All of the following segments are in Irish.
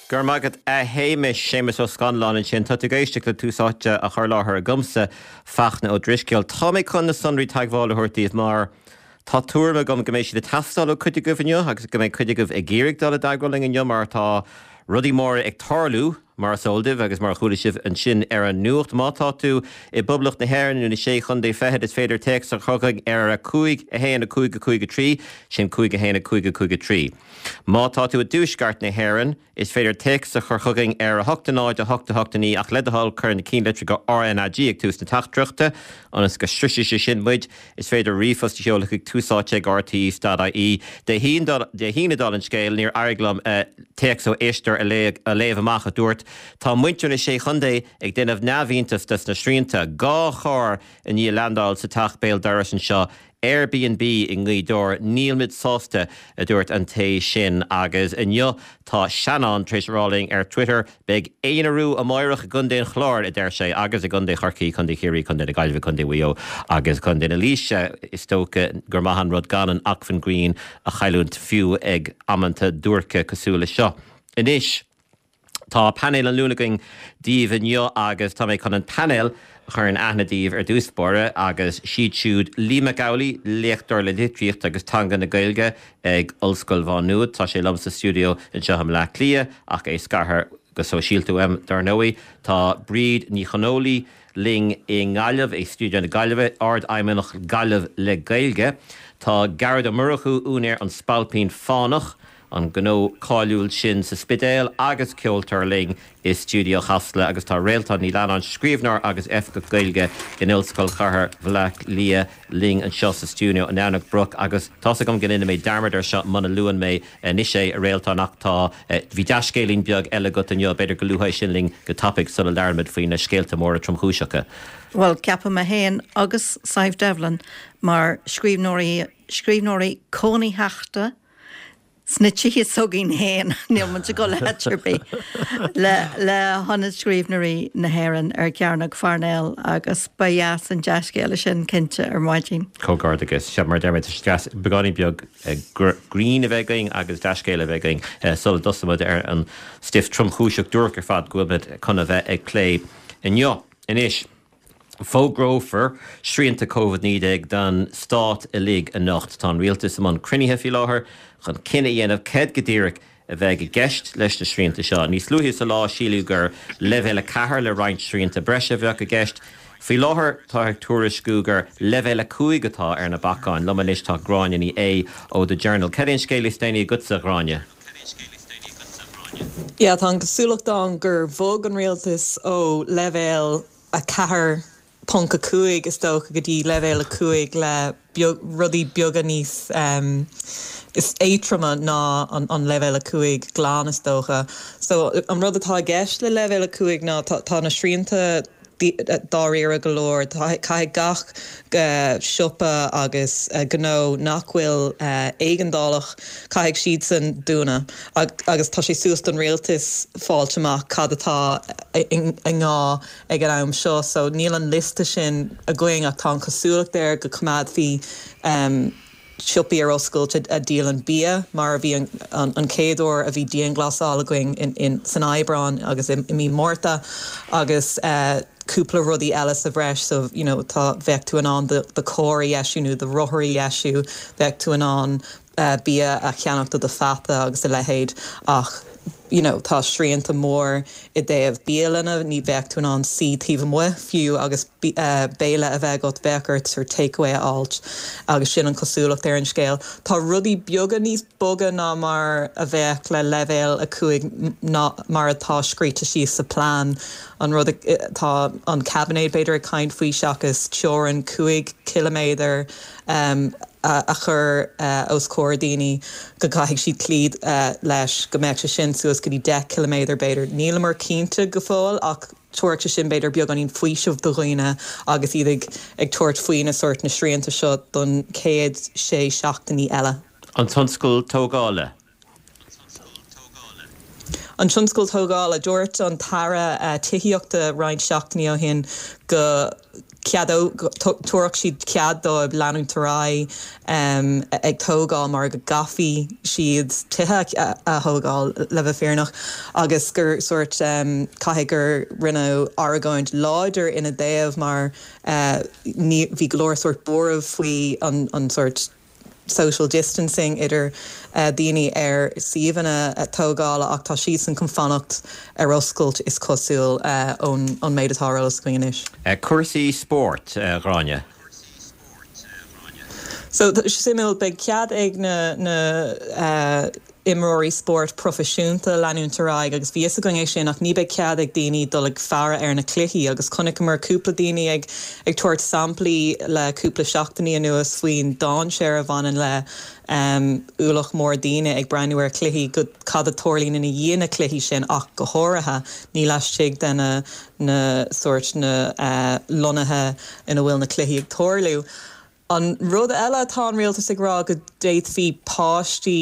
Go raibh maith agat a Shéamais, Séamus Ó Scanláin ansin. Tá tú ag éisteacht le Tús Áite á chur i láthair agamsa, Fachtna Ó Drisceoil. Tá mé chun na sonraí teagmhála a thabhairt daoibh mar tá tuairim agam go mbeidh siad ag teastáil ó cuid agaibh inniu agus go mbeidh cuid agaibh ag iarraidh dul i dteagmháil linn inniu mar tá rudaí móra ag tarlú, mar is eol daoibh agus mar a chuala sibh ansin ar an nuacht. Má tá tú i bPoblacht na hÉireann nó na Sé Chontae Feithid is féidir téacs a chur chugainn ar 5 1 5 5 3, sin 5 1 5 5 3. Má tá tú i dTuaisceart na hÉireann, is féidir téacs a chur chugainn ar 8 0 8 8 9 ach le do thoil cuir na cinnlitreacha RnaG ag tús na teachtaireachta ionas go sroisfidh sé sin muid. Is féidir ríomhphost a sheoladh chuig túsáite@rte.ie. Dé hAoine, dála an scéil, níor éirigh liom téacs ó éisteoir a léamh amach a dúirt, Tá muintir na Sé Chontae ag déanamh neamhiontas des na srianta. 2 charr i ndiaidh leaindeáil sa teach béal dorais anseo Airbnb i nGaoth Dobhair, nílmid sásta, a dúirt an té sin. Agus inniu tá Seanán tar éis a rá linn ar Twitter, Beidh aonarú amáireach i gContae an Chláir, a deir sé, agus i gContae Chorcaí, Contae Chiarraí, Contae na Gaillimhe, Contae Mhaigh Eo agus Contae na Laoise. Is dócha gur maith an rud gan an acmhainn grinn a chailliúint fiú ag amanta duairce cosúil le seo. Anois. Tá painéal an Luain againn daoibh inniu agus tá mé chun an painéal a chur in aithne daoibh ar dtús báire agus siad siúd Lee Mac Amhlaigh, léachtóir le Litríocht agus Teanga na Gaeilge ag Ollscoil Mhá Nuad. Tá sé liom sa stiúideo anseo i mBleá Cliath ach é scartha go sóisialta uaim, dar ndóigh. Tá Bríd Ní Chonghóile linn i nGaillimh, i stiúideo na Gaillimhe, Ard-Fheidhmeannach Gaillimh le Gaeilge. Tá Gearóid Ó Murchú, úinéir An Spailpín Fánach, an gnó cáiliúil sin sa Spidéal agus ceoltóir linn i stiúideo Chasla agus tá Réaltán Ní Leannáin, scríbhneoir agus Oifigeach Gaeilge in Ollscoil Chathair Bhaile Átha Cliath linn anseo sa stiúideo in Eamhnach Broc agus tá's agam go ndéanfaidh mé dearmad air seo muna luann mé anois é, a Réaltán, ach tá, bhí dea-scéilín beag eile agat inniu, b'fhéidir go luafá é sin linn go tapaidh sula labhraímid faoi na scéalta móra tromchúiseacha. Bhuel, ceapadh mé féin agus Sadhbh Devlin mar scríbhneoirí, scríbhneoirí cónaitheachta, Sna tithe s'againn féin, níl muid ag dul áit ar bith, le le hIonad Scríbhneoirí na hÉireann ar Chearnóg Pharnell agus ba dheas an dea-scéala sin cinnte ar maidin. Comhghairdeachas. Sea, mar a deir mé, tá sé deas beagáinín beag grinn a bheith againn agus dea-scéala a bheith againn sula dtosaímid ar an stuif tromchúiseach duairc ar fad go bhfuil muid chun a bheith ag plé inniu. Anois. Fógrófar srianta Covid-19 don stát uilig anocht. Tá an rialtas i mbun cruinnithe faoi láthair chun cinneadh a dhéanamh céard go díreach a bheidh i gceist leis na srianta seo. Níos luaithe sa lá síleadh gur leibhéal 4 le roinnt srianta breise a bheadh i gceist. Faoi láthair táthar ag tuairisciú gur leibhéal 5 atá ar na bacáin. Liom anois tá Gráinne Ní Aodha ó The Journal. Cad é an scéal is déanaí agatsa, a Ghráinne? Yeah, tá an chosúlacht ann gur bhog an rialtas ó leibhéal 4.5 is dócha go dtí leibhéal 5 le rudaí beaga níos is éadtroime ná an leibhéal 5 glan is dócha. So an rud atá i gceist le leibhéal 5 ná tá na srianta dáiríre go leor. Caithfidh gach siopa agus gnó nach bhfuil éigeandálach, caithfidh siadsan dúnadh agus tá sé suas don rialtas fáilt amach cad atá i ngá ag an am seo. So níl an liosta sin againn ach tá an chosúlacht air go coimeádfaí siopaí ar oscailt a dhíolann bia, mar a bhí an chéad uair a bhí dianghlasáil againn san Aibreán agus i mí Márta, agus cúpla rudaí eile sa bhreis, so you know tá, bheadh tú in ann do charr a dheisiú nó do rothar a dheisiú, bheadh tú in ann bia a cheannach do do pheata agus a leithéid ach you know tá srianta mór i dtaobh bialanna, ní bheadh tú in ann suí taobh amuigh fiú agus béile a bheith agat, bheadh ort sort takeaway a fháilt agus sin an chosúlacht ar an scéal. Tá rudaí beaga níos boga ná mar a bheadh le leibhéal 5 ná mar atá scríte síos sa plean, an rud atá an caibinéad b'fhéidir ag caint faoi seachas teorainn 5 ciliméadar a chur os comhair daoine go gcaithfidh siad cloí leis, go mbeadh sé sin suas go dtí 10 ciliméadar b'fhéidir. Níleamar cinnte go fóill ach tabharfaidh sé sin b'fhéidir beagáinín faoisimh do dhaoine agus iad ag ag tabhairt faoi na sórt na srianta seo don chéad sé seachtainí eile. An tionscal tógála. An tionscal tógála. Dúirt an tAire Tithíochta roinnt seachtainí ó shin go. Tabharfadh siad cead dóibh leanúint ar aghaidh ag tógáil mar go gcaithfí siad tithe a thógáil, le bheith fírinneach, agus gur sórt, caithfidh gur rinneadh argóint láidir ina dtaobh mar ní, bhí go leor sórt buairimh faoi an sórt. social distancing idir daoine ar suíomhanna tógála ach tá siadsan chun fanacht ar oscailt is cosúil ón méid atá ar eolas againn anois. Cúrsaí spóirt, a Ghráinne. So, suimiúil, beidh cead ag na na imreoirí spóirt proifisiúnta leanúint ar aghaidh agus bhí fhios againn é sin ach ní beidh cead ag daoine dul ag faire ar na cluichí agus chonaiceamar cúpla daoine ag ag tabhairt samplaí le cúpla seachtainí anuas faoin dainséar a bhaineann le ualach mór daoine ag breathnú ar chluichí go cad a tarlaíonn ina dhiaidh na cluichí sin ach go háirithe ní laistigh de na na sórt na lonnaithe ina bhfuil na cluichí ag tarlú. An rud eile atá an rialtas ag rá go d'fhéadfaí páistí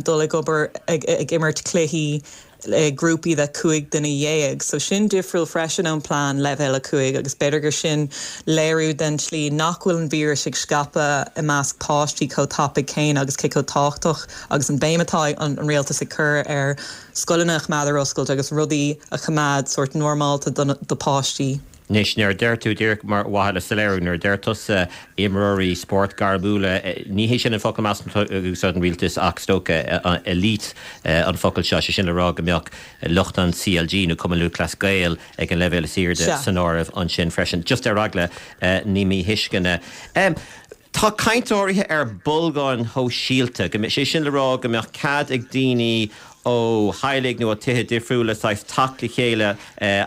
dul ag obair ag imirt cluichí i grúpaí de 15 duine. So sin difriúil freisin ón plean leibhéal 5 agus b'fhéidir gur sin léiriú den tslí nach bhfuil an víreas ag scaipeadh i measc páistí chomh tapaidh céanna agus cé chomh tábhachtach agus an béim atá an rialtas ag cur ar scoileanna a choimeád ar oscailt agus rudaí a choimeád sórt normálta do páistí. Anois, nuair a deir tú, díreach mar mhaithe le soiléiriú, nuair a deir tusa imreoirí spóirt gairmiúla, ní hé sin an focal measaim atá ag úsáid an rialtas ach is dócha elite an focal seo, sé sin le rá go mbeadh lucht an CLG nó Cumann Lúthchleas Gael ag an leibhéal is airde san áireamh ansin freisin. Just ar eagla na míthuisceana. Tá caint áirithe ar bolgáin shóisialta, go mbeadh, sé sin le rá go mbeadh cead ag daoine ó theaghlaigh nó ó tithe difriúla saghas teacht le chéile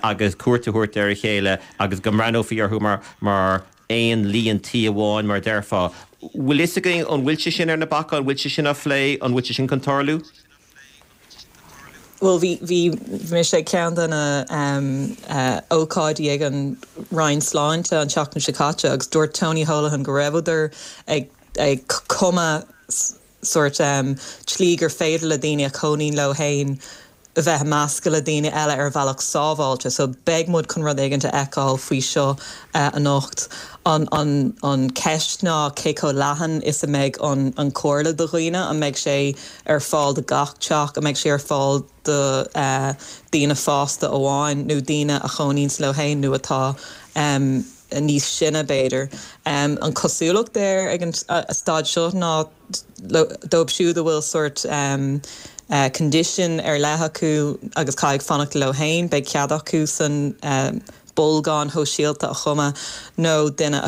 agus cuairt a thabhairt ar a chéile agus go mbreathnófaí orthu mar mar aon líon tí amháin mar a déarfá. Bhfuil fhios againn an bhfuil sé sin ar na bacáin, an bhfuil sé sin á phlé, an bhfuil sé sin chun tarlú? Bhuel, bhí, bhí mise ag ceann de na ócáidí ag an Roinn Sláinte an tseachtain seo caite agus dúirt Tony Holohan go rabhadar ag, ag cumadh sórt tslí gur féidir le daoine a chónaíonn leo féin a bheith ag meascadh le daoine eile ar bhealach sábháilte. So beidh muid chun rud éigin a fheiceáil faoi seo anocht. An, an, an ceist ná cé chomh leathan is a mbeidh an, an comhairle do dhaoine, an mbeidh sé ar fáil do gach teach, an mbeidh sé ar fáil do daoine fásta amháin nó daoine a chónaíonns leo féin nó atá níos sine b'fhéidir. An cosúlacht air ag an staid seo ná dóibh siúd a bhfuil sórt condition ar leith acu agus caithfidh fanacht leo féin, beidh cead acu san bolgáin shóisialta a chumadh nó duine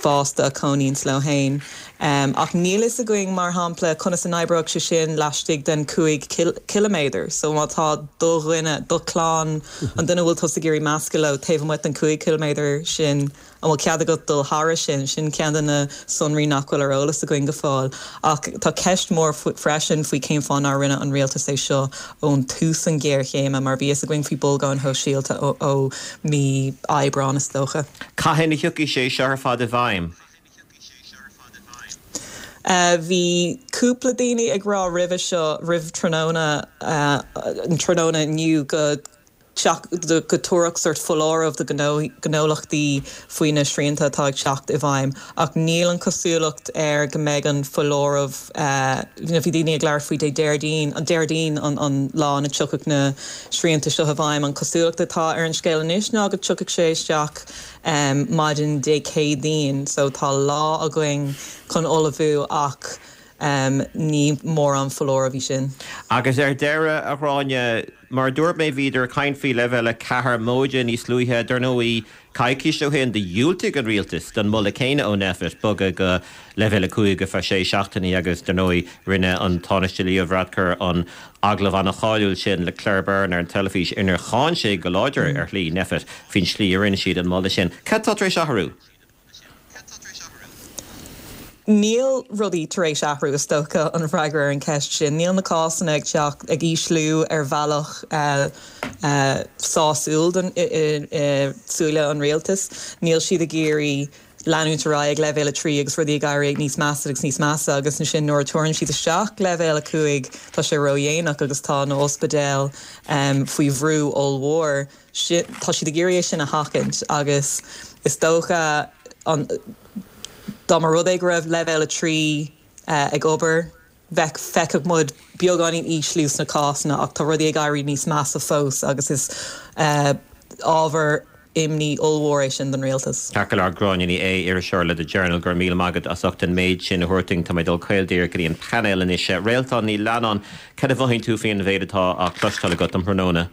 fásta a chónaíonns leo féin. Ach níl fhios againn, mar shampla, conas a n-oibreoidh sé sin laistigh den 5 chiliméadar. So má tá do dhuine, do chlann, an duine a bhfuil tusa ag iarraidh meascadh leo taobh amuigh den 5 chiliméadar sin, An bhfuil cead agat dul thairis sin? Sin ceann de na sonraí nach bhfuil ar eolas againn go fóill. Ach tá ceist mhór freisin faoi cén fáth nár rinne an rialtas é seo ón tús an ghéarchéime, mar bhí fhios againn faoi bolgáin shóisialta ó mí Aibreáin, is dócha. Cathain a thiocfaidh sé seo ar fad i bhfeidhm? Bhí cúpla daoine ag rá roimhe seo, roimh tráthnóna, an tráthnóna inniu, go. go dtabharfadh sórt foláireamh do ghnólachtaí faoi na srianta atá ag teacht i bhfeidhm ach níl an chosúlacht air go mbeidh an foláireamh, bhí daoine ag labhairt faoi Dé Déardaoin, an Déardaoin an lá ina dtiocfadh na srianta seo i bhfeidhm. An chosúlacht atá ar an scéal anois ná go dtiocfaidh sé isteach maidin Dé Céadaoin so tá lá againn chun ullmhú ach ní mórán foláireamh í sin. Agus ar deireadh, a Ghráinne, Mar a dúirt mé, bhíodar ag caint faoi leibhéal 4 móide níos luaithe. Dar ndóigh, coicís ó shin, do dhiúltaigh an rialtas don mholadh céanna ó Nphet bogadh go leibhéal 5 ar feadh sé seachtainí agus, dar ndóigh, rinne an Tánaiste Leo Varadkar an agallamh an-cháiliúil sin le Claire Byrne ar an teilifís inar cháin sé go láidir, ar shlí, Nphet faoin tslí a rinne siad an moladh sin. Cad tá tar éis athrú? Níl rudaí tar éis athrú, is dócha, an freagra ar an cheist sin. Níl na cásanna ag teacht, ag ísliú ar bhealach sásúil i súile an rialtais. Níl siad ag iarraidh leanúint ar aghaidh ag leibhéal 3 agus rudaí ag éirí níos measa agus níos measa agus ansin nuair a tabharann siad isteach leibhéal 5 tá sé ródhéanach agus tá na hospidéil faoi bhrú ollmhór. Tá siad ag iarraidh é sin a sheachaint agus. Is dócha an dá mba rud é go raibh leibhéal 3 ag obair, bheadh, feicfeadh muid beagáinín ísliú sna cásanna ach tá rudaí ag éirí níos measa fós agus is ábhar imní ollmhór é sin don rialtas. Ceart go leor, Gráinne Ní Aodha, iriseoir le The Journal, go raibh míle maith agat as ucht an méid sin a thabhairt dúinn. Tá mé ag dul caol díreach go dtí an painéal anois. Réaltán Ní Leannáin, cad a mhothaíonn tú faoin mhéid atá á chloisteáil agat um thráthnóna?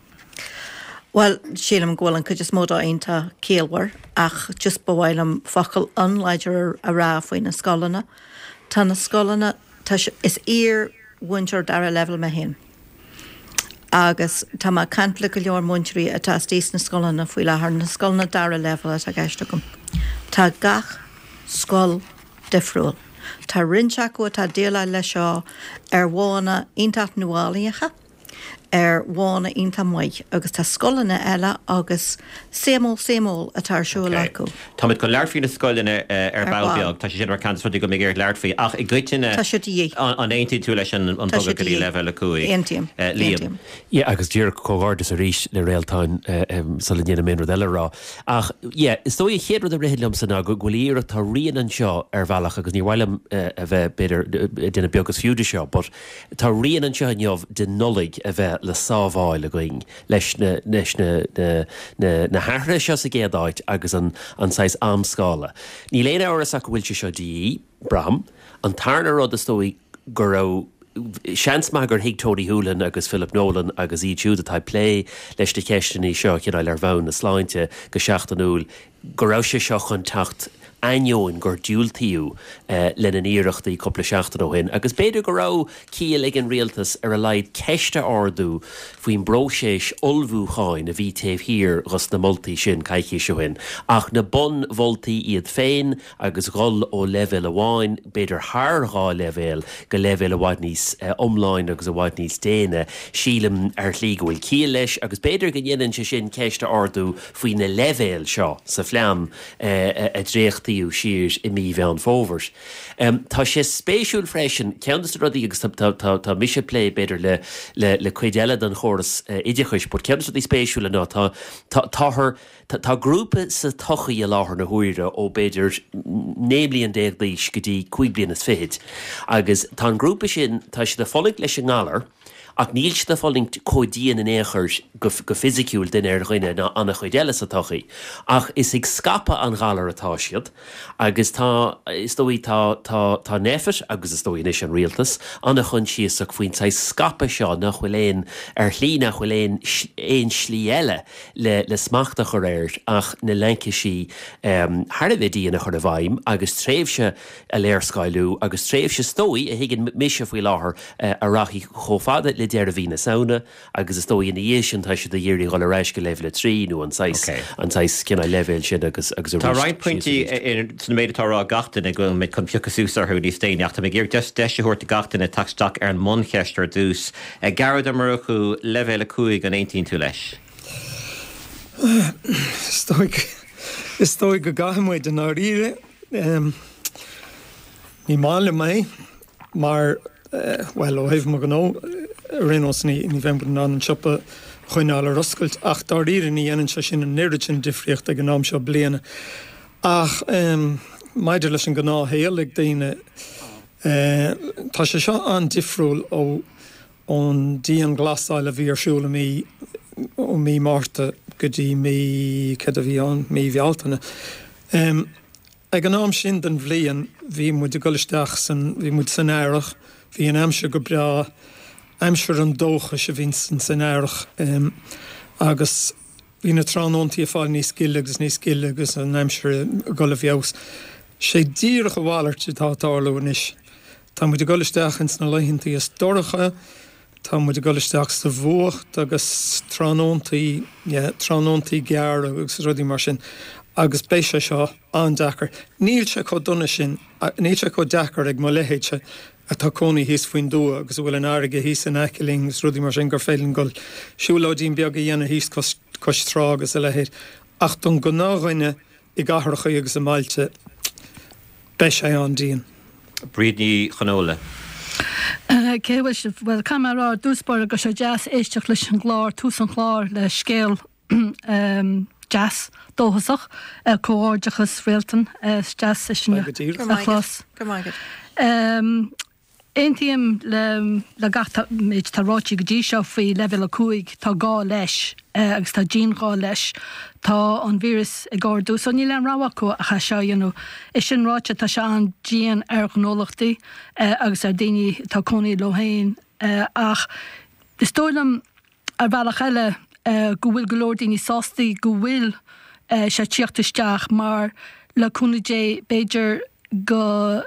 Bhuel, sílim go bhfuil an chuid is mó dó iontach ciallmhar ach just ba mhaith liom focal an-láidir a rá faoi na scoileanna. Tá na scoileanna, tá sé, is iar-mhúinteoir dara leibhéal mé féin agus tá mé ag caint le go leor múinteoirí atá istigh sna scoileanna faoi láthair, na scoileanna dara leibhéal atá i gceist agam. Tá gach scoil difriúil. Tá roinnt acu atá ag déileáil leis seo ar mhodhanna iontach nuálaíocha. ar mhodhanna iontach maith agus tá scoileanna eile agus same old same old atá ar siúl acu. Táimid chun labhairt faoi na scoileanna ar ball beag, tá sé sin mar ceann de na rudaí go mbeidh ag iarraidh labhairt faoi ach i gcoitinne Tá sé de dhíth. an aontaíonn tú leis an bogadh go dtí leibhéal 5? Aontaím. Liam. Yeah agus díreach comhghairdeas arís le Réaltán sula ndéanaim aon rud eile a rá. Ach yeah is dóigh an chéad rud a ritheann liomsa ná go bhfuil iarracht, tá rian anseo ar bhealach agus níor mhaith liom a bheith b'fhéidir ag déanamh beag is fiú de seo but Tá rian anseo inniu den Nollaig a bheith le sábháil againn leis na leis na na na hathruithe seo sa gcéad áit agus an an saghas amscála. Níl aon amhras ach go bhfuil sé seo de dhíth, braithim. An tarna rud is dóigh go raibh seans maith gur thuig Tony Holohan agus Philip Nolan agus iad siúd atá ag plé leis na ceisteanna seo cineál ar bhonn na sláinte go seachtainiúil go raibh sé seo chun teacht ainneoin gur diúltaíodh lena n-iarrachtaí cúpla seachtain ó shin agus b'fhéidir go raibh ciall ag an rialtas ar a laghad ceist a ardú faoin bpróiseas ullmhúcháin a bhí taobh thiar dhos na moltaí sin coicís ó shin. Ach na bunmholtaí iad féin agus dhul ó leibhéal amháin, b'fhéidir thar dhá leibhéal, go leibhéal i bhfad níos iomláine agus i bhfad níos déine, sílim ar shlí go bhfuil ciall leis agus b'fhéidir go ndéanann sé sin ceist a ardú faoi na leibhéil seo sa phlean a dréachtaíodh siar i mí Mheán Fómhair. Tá sé spéisiúil freisin, ceann de na rudaí, agus tá mise ag plé b'fhéidir le le cuid eile den chóras oideachais, but ceann de na rudaí spéisiúla ná tá táthar tá grúpa sa tsochaí i láthair na huaire ó b'fhéidir 19 mbliain d'aois go dtí 5 bliana is fichid agus tá an grúpa sin, tá siad ag fulaingt leis an ngalar, Ach níl siad ag fulaingt chomh dian in aon chor go fisiciúil duine ar dhuine ná an-chuid eile sa tsochaí. Ach is ag scaipeadh an ghalair atá siad agus tá, is dóigh, tá, tá, tá NPHET agus is dóigh anois an rialtas, an-choinsiasach faoin saghas scaipeadh seo nach bhfuil aon, ar shlí nach bhfuil aon, aon slí eile le, le smacht a chur air ach na laincisí thar a bheith dian a chur i bhfeidhm agus tréimhse a léarscáiliú agus tréimhse is dóigh, a thuigeann mise faoi láthair, a rachaidh chomh fada le deireadh mhí na Samhna agus is dóigh ina dhiaidh sin tá siad ag iarraidh dhul ar ais go leibhéal 3 nó an saghas, an saghas cineál leibhéal sin agus agus arís Tá roinnt pointí san méid atá á rá ag gach duine go bhfuil mé chun piocadh suas orthu níos déanaí ach tá mé ag iarraidh deis deis a thabhairt do gach duine teacht isteach ar an mbuncheist ar dtús. Gearóid Ó Murchú, leibhéal 5, an aontaíonn tú leis? Is dóigh, is dóigh go gcaithfidh muid i ndáiríre. Ní maith liom é mar, bhuel, ó thaobh mo ghnó ar aon nós, ní bheidh muid in ann an siopa a choinneáil ar oscailt ach dáiríre ní dhéanann sé sin an oiread sin difríocht ag an am seo bliana. Ach maidir leis an ngnáthshaol ag daoine, tá sé seo an-difriúil ó ón dianghlasáil a bhí ar siúl i mí, ó mí Márta go dtí mí, céard a bhí ann, mí Bhealtaine. Ag an am sin den bhliain bhí muid ag dul isteach san, bhí muid san earrach, bhí an aimsir go breá, aimsir an dóchais a bhí san earrach agus bhí na tráthnóntaí ag fáil níos gile agus níos gile agus an aimsir ag dul i bhfeabhas. Sé díreach a mhalairt atá ag tarlú anois. Tá muid ag dul isteach ins na laethantaí is dorcha, tá muid ag dul isteach sa bhfuacht agus tráthnóntaí, yeah, tráthnóntaí gearra agus rudaí mar sin agus beidh sé seo an-deacair. Níl sé chomh dona sin, níl sé chomh deacair ag mo leithéidse atá cónaí thíos faoin dtuath agus a bhfuil an fharraige thíos in aice linn agus rudaí mar sin gur féidir linn dul siúlóidín beag a dhéanamh thíos cois, cois trá agus a leithéid. Ach don ghnáthdhuine i gcathrachaí agus i mbailte, beidh sé an-dian. Bríd Ní Chonghóile. Cé bhfuil sibh? Bhuel, caithfidh mé a rá i dtús báire go raibh sé deas éisteacht leis an gclár, tús an chláir le scéal. deas dóchasach. Comhghairdeachas Réaltán, is deas é sin a chlos. Go raibh maith agat. Aontaím le gach méid atá ráite go dtí seo faoi leibhéal 5, tá gá leis agus tá dianghá leis. Tá an víreas ag ardú so níl aon rogha acu ach é seo a dhéanamh. É sin ráite tá sé an-dian ar ghnólachtaí agus ar daoine atá cónaí leo féin ach is dóigh liom Ar bhealach eile, go bhfuil go leor daoine sásta go bhfuil sé ag tíocht isteach mar le cúnamh Dé b'fhéidir go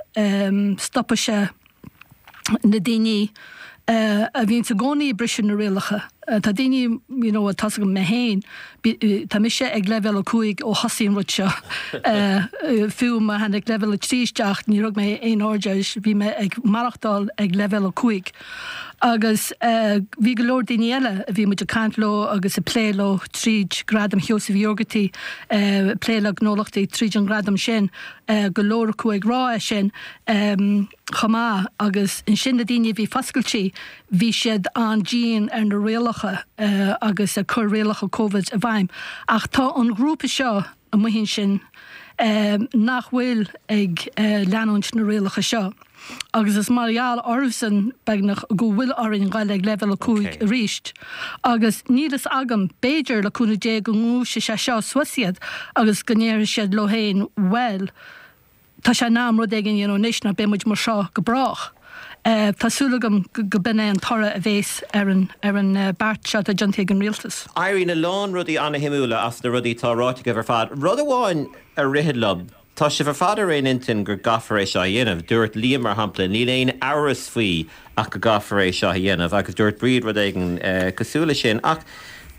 stopfaidh sé na daoine a bhíonns i gcónaí ag briseadh na rialacha. Tá daoine, you know, tá's agam mé féin, tá mise ag leibhéal 5 ó thosaigh an rud seo. Fiú má tháinig leibhéal 3 isteach níor thug mé aon aird air, bhí mé ag maireachtáil ag leibhéal 5. Agus bhí go leor daoine eile a bhí muid ag caint leo agus ag plé leo tríd Gradam Sheosaimh Uí Ógartaigh, ag plé le gnólachtaí tríd an ghradam sin, go leor acu ag rá é sin chomh maith. Agus ansin na daoine a bhí foscailte, bhí siad an-dian ar na rialacha agus ag cur rialacha Covid i bhfeidhm. Ach tá an ghrúpa seo amuigh ansin nach bhfuil ag leanúint na rialacha seo. Agus is mar gheall orthusan, beagnach, go bhfuil orainn dul ag leibhéal 5 arís. Agus níl fhios agam, b'fhéidir, le cúnamh Dé, go ngluaisfidh sé seo suas iad agus go ndéarfaidh siad leo féin, bhuel, tá sé in am rud éigin a dhéanamh anois nó beidh muid mar seo go brách. Tá súil agam go b'in é an toradh a bhéas ar an ar an beart seo atá déanta ag an rialtas. Éiríonn a lán rudaí ana-shuimiúla as na rudaí atá ráite agaibh ar fad. Rud amháin a ritheann liom, Tá sibh ar fad ar aon intinn go gcaithfear é seo a dhéanamh. Dúirt Liam, mar shampla, níl aon amhras faoi ach go gcaithfear é seo a dhéanamh agus dúirt Bríd rud éigin cosúil leis sin. Ach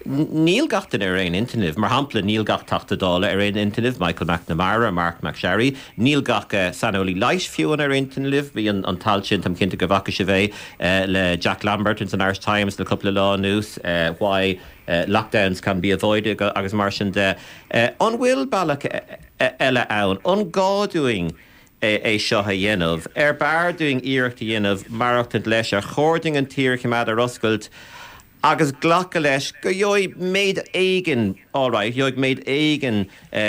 níl gach duine ar aon intinn libh. Mar shampla, níl gach Teachta Dála ar aon intinn libh, Michael McNamara, Marc MacSharry. Níl gach saineolaí leighis fiú ar aon intinn libh. Bhí an t-alt sin, táim cinnte go bhfaca sibh é, le Jack Lambert ins an Irish Times le cúpla lá anuas, Why Lockdowns Can Be Avoided agus mar sin de. An bhfuil bealach eile ann? An gá dúinn é seo a dhéanamh? Ar b'fhearr dúinn iarracht a dhéanamh maireachtaint leis? Ar chóir dúinn an tír a choimeád ar oscailt agus glacadh leis go gheobhaidh méid éigin, alright, gheobhaidh méid éigin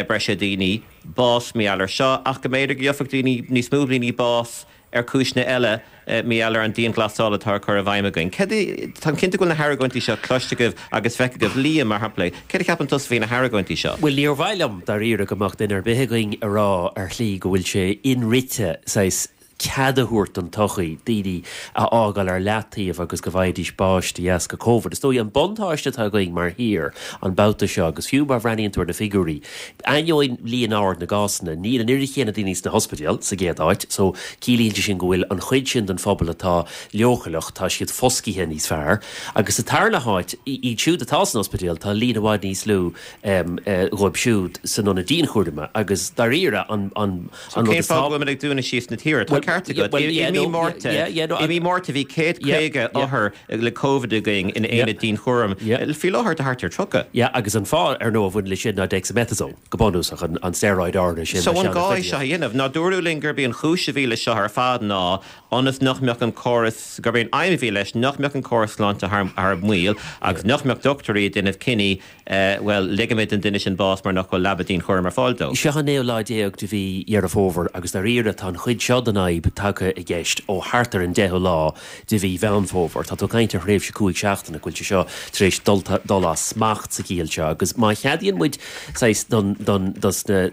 breise daoine bás mar gheall air seo ach go mb'fhéidir go gheobhadh daoine, níos mó daoine bás ar chúiseanna eile mar gheall ar an dianghlasáil atá á cur i bhfeidhm againn. Céard a, táim cinnte go bhfuil na hargóintí seo cloiste agaibh agus feicthe agaibh. Liam, mar shampla, céard a cheapann tusa faoi na hargóintí seo? Bhuel, níor mhaith liom, dáiríre, go mbeadh duine ar bith againn a rá ar shlí go bhfuil sé inrite, saghas, cead a thabhairt don tsochaí daoine a fhágáil ar leataobh agus go bhfaighidís báis de dheasca Covid. Is dóigh an buntáiste atá againn mar thír an babhta seo, agus fiú má bhreathnaíonn tú ar na figiúirí, Ainneoin líon ard na gcásanna, níl an oiread chéanna daoine sna hospidéil, sa gcéad áit, so ciallaíonn sé sin go bhfuil an chuid sin den phobal atá leochaileach, tá siad foscaithe níos fearr. Agus sa tarna háit, iad siúd atá san ospidéal, tá líon i bhfad níos lú dhóibh siúd san ionad dianchúraim agus dáiríre an an So rud cén is fáth go bhfuil muid ag dúnadh síos na tíre? Tá ceart agat. I mí Márta, i mí Márta bhí 150 othar le Covid againn in aonad dianchúraim. Faoi láthair tá thart ar 30. Yeah, agus an fáth, ar ndóigh, a bhaineann leis sin ná dexamethasone, go bunúsach, an steroid áirithe sin So an gá é seo a dhéanamh? Ná dúradh linn gurb í an chúis a bhí leis seo ar fad ná ionas nach mbeadh an córas, gurb é an aidhm a bhí leis nach mbeadh an córas sláinte thar maoil agus nach mbeadh dochtúirí ag déanamh cinní Bhuel, ligfimid don duine sin bás mar nach bhfuil leaba dianchúraim ar fáil dó. Seo an naoú lá déag de mhí Dheireadh Fómhair agus dáiríre tá an chuid seo den fhadhb tagtha i gceist ó thart ar an deichiú lá de mhí Mheán Fómhair. Tá tú ag caint ar thréimhse cúig seachtaine go bhfuil sé seo tar éis dul dul as smacht sa chiall seo agus má cheadaíonn muid saghas don don dos na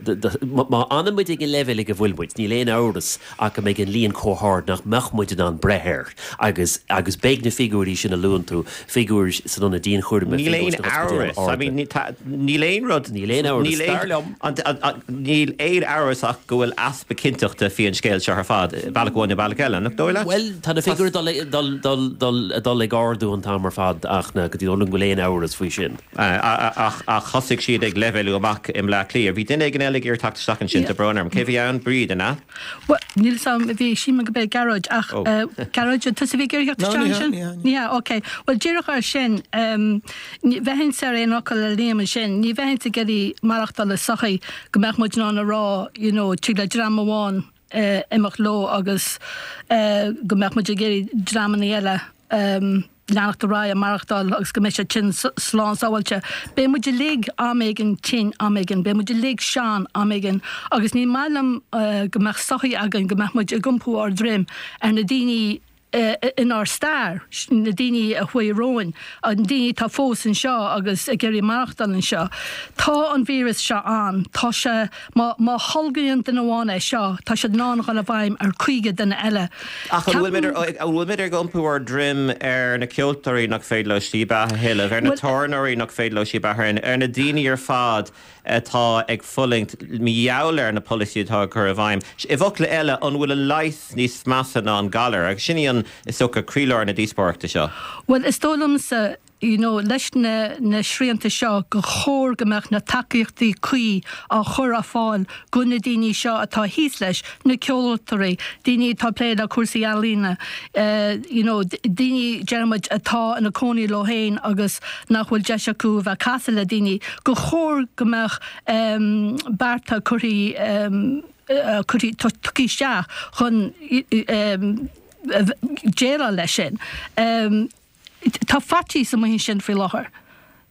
má fhanann muid ag an leibhéal ag a bhfuil muid níl aon amhras ach go mbeidh an líon chomh hard nach mbeadh muid in ann breith air agus agus beidh na figiúirí sin a luann tú, figiúir san ionad dianchúraim, Níl aon amhras, I mean, níl aon rud, Níl aon amhras, dar liom. Níl aon amhras ach go bhfuil easpa cinnteachta faoi an scéal seo ar fad, bealach amháin nó bealach eile, nach dóigh leat? Bhuel, tá na figiúirí ag dul, dul, dul, dul ag ardú an t-am ar fad ach na, go dtí go bhfuil aon amhras faoi sin. Ach thosaigh siad ag leibhéalú amach i mBleá Cliath. Bhí duine éigin eile ag iarraidh teacht isteach ansin, tá brón orm. Cé bhí ann? Bríd, an ea? Bhuel, níl 'fhios a'm, bhí, sílim go b'é Gearóid, ach Gearóid, an tusa a bhí ag iarraidh theacht isteach ansin? Ní hea, ok. Bhuel, díreach ar sin, ní bheinnse ar aon fhocal le Liam ansin, ní bheinnse ag iarraidh maireachtáil i sochaí go mbeadh muid in ann a rá, you know, tig le dream amháin imeacht leo agus go mbeadh muid ag iarraidh dreamanna eile. leanacht ar aghaidh ag maireachtáil agus go mbeidh siad tinn slán sábháilte. Beidh muid uilig am éigin tinn am éigin, beidh muid uilig sean am éigin agus ní maith liom go mbeadh sochaí againn go mbeadh muid ag iompú ár droim ar na daoine inár stair, na daoine a chuaigh romhainn, na daoine atá fós anseo agus ag iarraidh maireachtáil anseo. Tá an víreas seo ann, tá sé, má, má tholgann duine amháin é seo, tá siad in ann a dhul i bhfeidhm ar 50 duine eile. Ach an bhfuil muid, an bhfuil muid ag iompú ár droim ar na ceoltóirí nach féidir leo slí beatha a thuilleamh, ar na tábhairneoirí nach féidir leo slí beatha a thuilleamh, ar na daoine ar fad atá ag fulaingt mar gheall ar na polasaí atá á gcur i bhfeidhm. I bhfocla eile, an bhfuil an leigheas níos measa ná an galar? Agus sin í an, is dócha, croílár na díospóireachta seo. Bhuel, is dóigh liomsa, you know, leis na, na srianta seo, gur chóir go mbeadh na tacaíochtaí cuí á chur ar fáil go na daoine seo atá thíos leis, na ceoltóirí, daoine atá ag plé le cúrsaí ealaíona, you know, daoine, déarfaidh muid, atá ina cónaí leo féin agus nach bhfuil deis acu a bheith ag casadh le daoine, gur chóir go mbeadh bearta curtha, curtha, tugtha isteach chun déileáil leis sin. Tá faitíos amuigh ansin faoi láthair.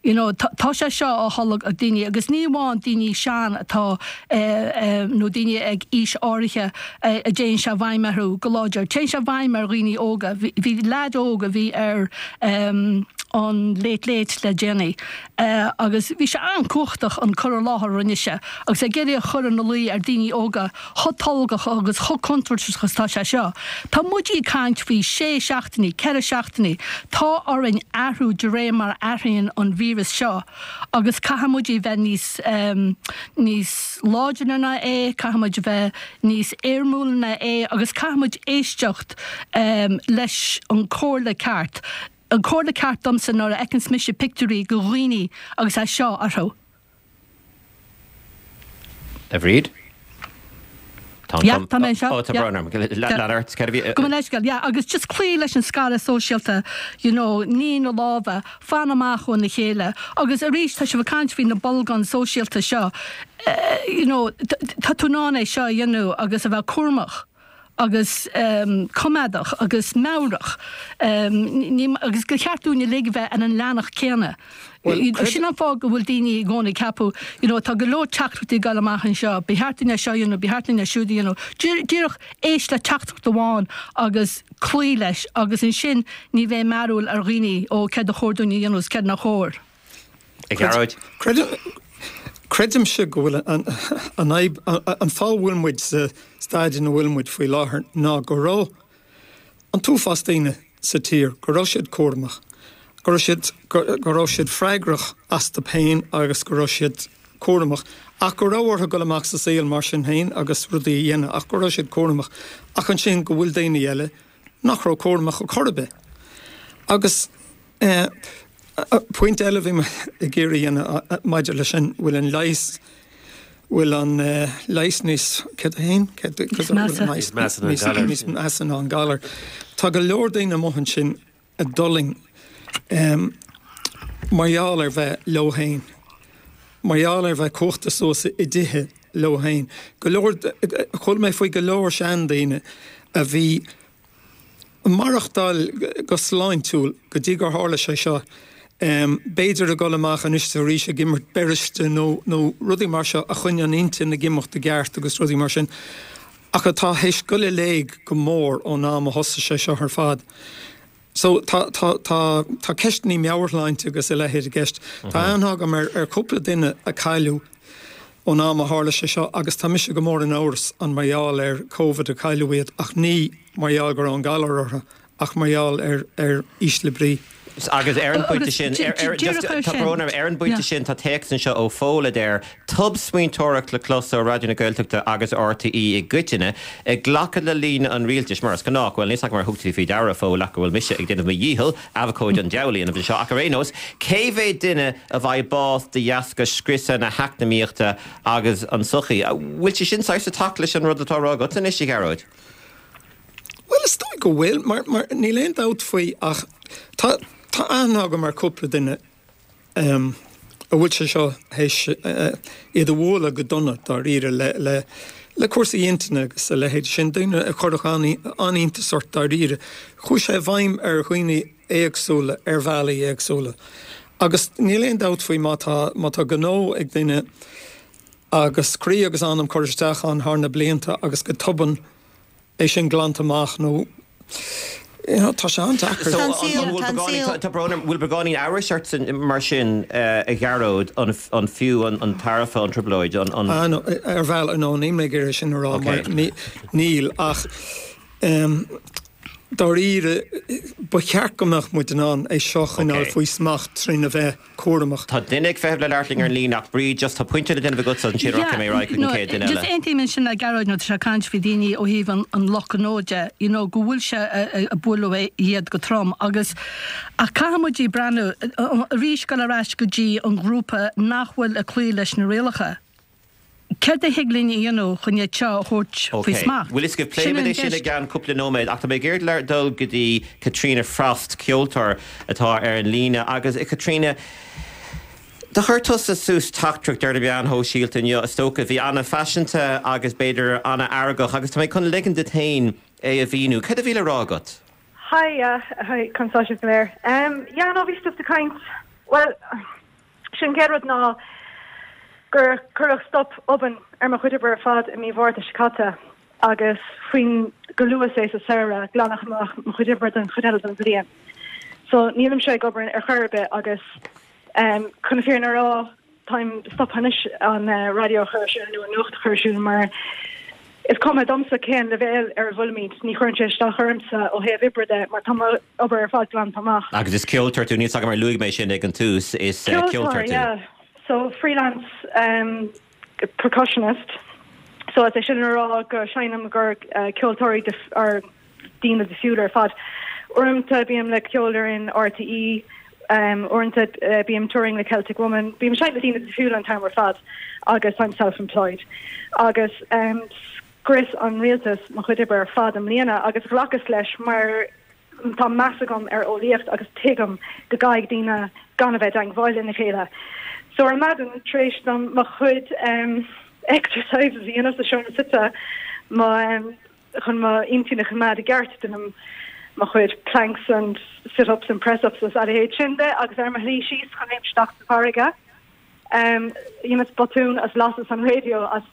You know, tá sé seo á tholg ag daoine agus ní amháin daoine sean atá nó daoine ag aois áirithe a dtéann sé i bhfeidhm orthu go láidir. Téann sé i bhfeidhm ar dhaoine óga. Bhí leaid óg a bhí ar an Late Late le déanaí agus bhí sé an-chumhachtach an cur i láthair a rinne sé agus é ag iarraidh a chur ina luí ar daoine óga chomh tolgach agus chomh contúirteach is atá sé seo. Tá muid ag caint faoi sé seachtainí, ceithre seachtainí. Tá orainn athrú de réir mar a athraíonn an víreas seo agus caithfidh muid a bheith níos, níos láidre ná é, caithfidh muid a bheith níos éirmiúla ná é agus caithfidh muid éisteacht leis an comhairle ceart. An comhairle ceart domsa nuair a fheiceanns mise pictiúirí de dhaoine agus é seo orthu. A Bhríd? Tá an Yeah, tá mé anseo. Ó, tá brón orm. Lean ort. Cad a bhí? Gabh mo leithscéal, yeah, agus just cloí leis an scaradh sóisialta, you know, nigh na lámha, fan amach óna chéile. Agus arís, tá sibh ag caint faoi na bolgáin sóisialta seo, you know, tá tú in ann é seo a dhéanamh agus a bheith cúramach. agus coimeádach agus meabhrach agus gur cheart dúinn uilig a bheith ar an leathanach céanna. Sin an fáth go bhfuil daoine i gcónaí ag ceapadh, you know, tá go leor teachtaireachtaí ag dul amach anseo, ba cheart dúinn é seo a dhéanamh, ba cheart dúinn é siúd a dhéanamh. Díreach éist le teachtaireacht amháin agus cloí leis agus ansin ní bheidh mearbhall ar dhaoine, ó céard a chóir dúinn a dhéanamh is céard nach chóir. A Ghearóid. Creidimse go bhfuil an fhadhb, an fáth a bhfuil muid sa staid ina bhfuil muid faoi láthair ná go raibh an t-uafás daoine sa tír, go raibh siad cúramach, go raibh siad, go raibh siad freagrach astu féin agus go raibh siad cúramach ach go raibh orthu dul amach sa saol mar sin féin agus rudaí a dhéanamh ach go raibh siad cúramach ach ansin go bhfuil daoine eile nach raibh cúramach ar chor ar bith. Agus pointe eile a bhí mé ag iarraidh a dhéanamh maidir leis sin, bhfuil an leigheas, bhfuil an leigheas níos, céard é féin? Níos measa ná an galar. Níos measa ná an galar. Tá go leor daoine amuigh ansin a d'fhulaing mar gheall ar bheith leo féin, mar gheall ar bheith cuachta suas i dtithe leo féin. Go leor, chuala mé faoi go leor seandaoine a bhí ag maireachtáil go sláintiúil go dtí gur tharla sé seo, b'fhéidir ag dul amach anois is arís ag imirt beiriste nó nó rudaí mar seo a choinnigh an intinn ag imeacht i gceart agus rudaí mar sin, ach atá théis dul i léig go mór ón am a thosaigh sé seo ar fad. So tá tá tá tá ceisteanna meabhairshláinte agus a leithéid i gceist. Tá aithne agam ar ar chúpla duine a cailleadh ón am a tharla sé seo agus tá mise go mór in amhras an mar gheall ar Covid a cailleadh iad ach ní mar gheall go raibh an galar orthu ach mar gheall ar ar ísle brí. Agus ar an bpointe sin, tá brón orm, ar an bpointe sin tá téacs anseo ó Phól a deir, Tobsmaointeoireacht le clos ó Raidió na Gaeltachta agus RTÉ i gcoitinne, ag glacadh le líne an rialtais, mar is gnách. Bhuel, níl 's agam ar thug tú faoi deara, a Phóil, ach go bhfuil mise ag déanamh mo dhícheall abhcóide an diabhail a dhéanamh anseo, ach ar aon nós, cé mhéad duine a bhfaighidh bás de dheasca scriosadh na heacnamaíochta agus an tsochaí? Bhfuil sé sin saghas ag teacht leis an rud atá á rá agat anois, a Ghearóid? Bhuel, is dóigh go bhfuil, mar, mar níl aon dabht faoi ach tá, tá aithne agam ar cúpla duine a bhfuil sé seo théis iad a bhualadh go dona dáiríre le, le. Le cúrsaí intinne agus a leithéid sin, daoine a chuirfeadh an-iontas ort dáiríre. Chuaigh sé i bhfeidhm ar dhaoine éagsúla ar bhealaí éagsúla. Agus níl aon dabht faoi má tá, má tá gnó ag duine agus croí agus anam curtha isteach ann thar na blianta agus go tobann é sin glanta amach nó you know tá sé an-deacair. So an bhfuil beagáinín, tá brón orm, bhfuil beagáinín amhrais ort mar sin a Ghearóid, an fiú an tairbhe an trioblóid, an. Ah no, ar bhealach, no níl mé ag iarraidh sin a rá mar níl ach em dáiríre ba cheart go mbeadh muid in ann é seo a choinneáil faoi smacht trína bheith cúramach. Tá duine ag feitheamh le labhairt linn ar an líne ach Bríd just tá pointe le déanamh agatsa ansin rachaidh mé ar aghaidh chuig an chéad duine eile. Just aontaím ansin le Gearóid nuair atá sé ag caint faoi daoine ó thaobh an lucht gnó de, you know go bhfuil sé ag bualadh iad go trom agus ach caithfidh muid breathnú arís dul ar ais go dtí an ghrúpa nach bhfuil ag cloí leis na rialacha. Céard a thig linn a dhéanamh chun iad seo a thabhairt faoi smacht? Bhfuil fhios agaibh, pléifimid é sin i gceann cúpla nóiméad ach tá mé ag iarraidh dul go dtí Caitríona Frost, ceoltóir atá ar an líne agus a Chaitríona, do chuir tusa suas teachtaireacht ar na meáin shóisialta inniu, is dócha, bhí ana-phaiseanta agus b'fhéidir ana-fheargach agus tá mé chun ligean duit féin é a mhíniú. Céard a bhí le rá agat? Hi, yeah, hi, conas tá sibh go léir? Yeah, no, bhí stuff ag caint, bhuel, Sé an chéad rud ná gur cuireadh stop obann ar mo chuid oibre ar fad i mí Mhárta seo caite agus faoin go luath is é sa samhradh glanadh amach mo chuid oibre don chuid eile den bhliain. So nílimse ag obair ar chor ar bith agus chun na fírinne a rá táim stoptha anois an raidió a chur ar siúl nó an nuacht a chur ar siúl mar is cuma domsa cén leibhéal ar a bhfuilimid, ní chuireann sé isteach ormsa ó thaobh oibre de mar tá mo obair ar fad glanta amach. Agus is ceoltóir tú, níl 's agam ar luaigh mé sin ag an tús, is ceoltóir tú. Ceoltóir, yeah. So freelance um, percussionist. So is é sin le rá go seinnim i gcomhair uh, ceoltóirí or daoine difriúla ar fad. Uaireanta bím le ceolfhoireann RTÉ, um, uaireanta uh, bím touring le Celtic Woman, bím seinnt le daoine difriúla an t-am ar fad agus I'm self-employed. Agus um, scrios an rialtas mo chuid oibre ar fad i mbliana agus ghlacas leis mar tá meas agam ar eolaíocht agus tuigim go gcaithfidh daoine gan a bheith i dteangmháil lena chéile. So ar maidin tar éis dom mo chuid um, exercises a dhéanamh sa seomra suite mo um, chun mo intinn a choimeád i gceart déanaim mo chuid planks and sit-ups and press-ups is a leithéid sin de agus ar mo shlí síos chun léimt isteach sa bhfarraige Dheineas botún agus lasas an raidió agus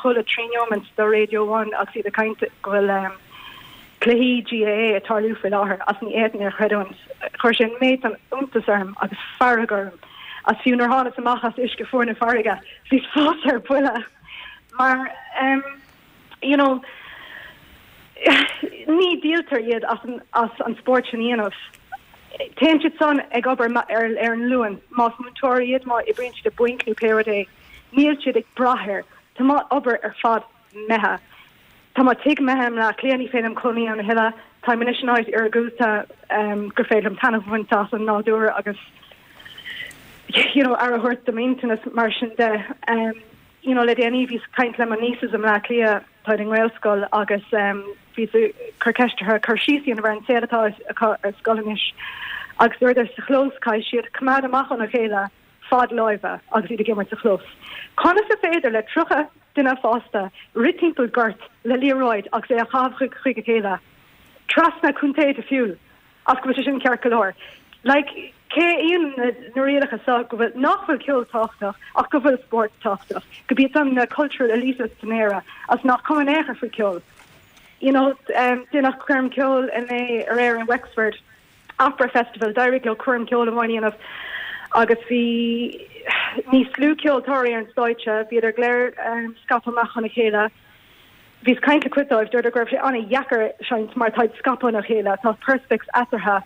chuala 3 neomant de Radio One agus iad ag caint go bhfuil cluichí GAA ag tarlú faoi láthair agus ní fhéadfainn é a chreidiúint. Chuir sé an méid san iontas orm agus fearg orm agus fiú nuair thánas amach as uisce fuar na farraige bhíos fós ar buile mar you know ní dhíoltar iad as an, as an spórt sin a dhéanamh. Téann siad san ag obair ar, ar an Luan, más múinteoirí iad, má oibríonn siad i bainc nó pé rud é, níl siad ag brath air. Tá mo obair ar fad imithe. Tá mo tigh imithe i mBleá Cliath, ní féidir liom cónaí ann a thuilleadh. Táim anois in áit iargúlta um, gur féidir liom taitneamh a bhaint as an nádúr agus you know, aire a thabhairt do m'intinn is mar sin de. Um, you know, le déanaí bhíos ag caint le mo nieces i mBleá Cliath, táid i nGaelscoil agus bhíos ag cur ceist orthu cur síos a dhéanamh ar an saol atá acu ar scoil anois agus dúradar sa chlós caithfidh siad coimeád amach óna chéile fad láimhe agus iad ag imirt sa chlós. Conas is féidir le 30 duine fásta rith timpeall gort le liathróid agus é a chaitheamh chuig a chéile trasna contae difriúil? Ach go bhfuil sé sin ceart go leor. Like, cé a dhéanann na rialacha seo go bhfuil, nach bhfuil ceol tábhachtach ach go bhfuil spórt tábhachtach, go b'iad san na cultural elitists in Éire agus nach cuma in aon chor faoi ceol. You know, um, deineadh coirm ceoil inné aréir in Wexford, Opera Festival, d'éirigh leo coirm ceoil amháin a dhéanamh agus bhí níos lú ceoltóirí ar an stáitse, bhíodar go léir um, scaipthe amach óna chéile. Bhíos ag caint le cuid dóibh, dúradar go raibh sé an-dheacair seinnt mar táid scaipthe óna chéile, tá perspex eatarthu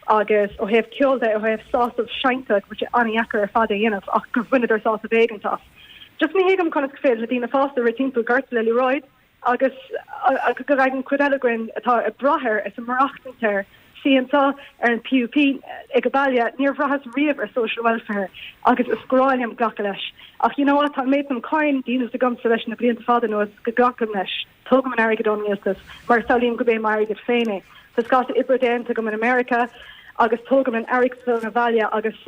agus ó thaobh ceoil de, ó thaobh sásamh seinnte, go bhfuil sé an-dheacair ar fad é a dhéanamh ach gur bhaineadar sásamh éigint as. Just ní thuigim conas gur féidir le daoine fásta rith timpeall goirt le liathróid agus go bhfaigheann cuid eile againn atá ag brath air is ag maireachtaint air suí anseo ar an PUP ag an baile, níor bhraitheas riamh ar social welfare agus is grá liom glacadh leis. Ach you know what, tá an méid san cáin díolta agamsa leis na blianta fada anuas go nglacaim leis. Tógaim an airgead ón rialtas mar samhlaím gurb é m'airgead féin é. Tá scata oibre déanta agam in America agus tógaim an airgead san abhaile agus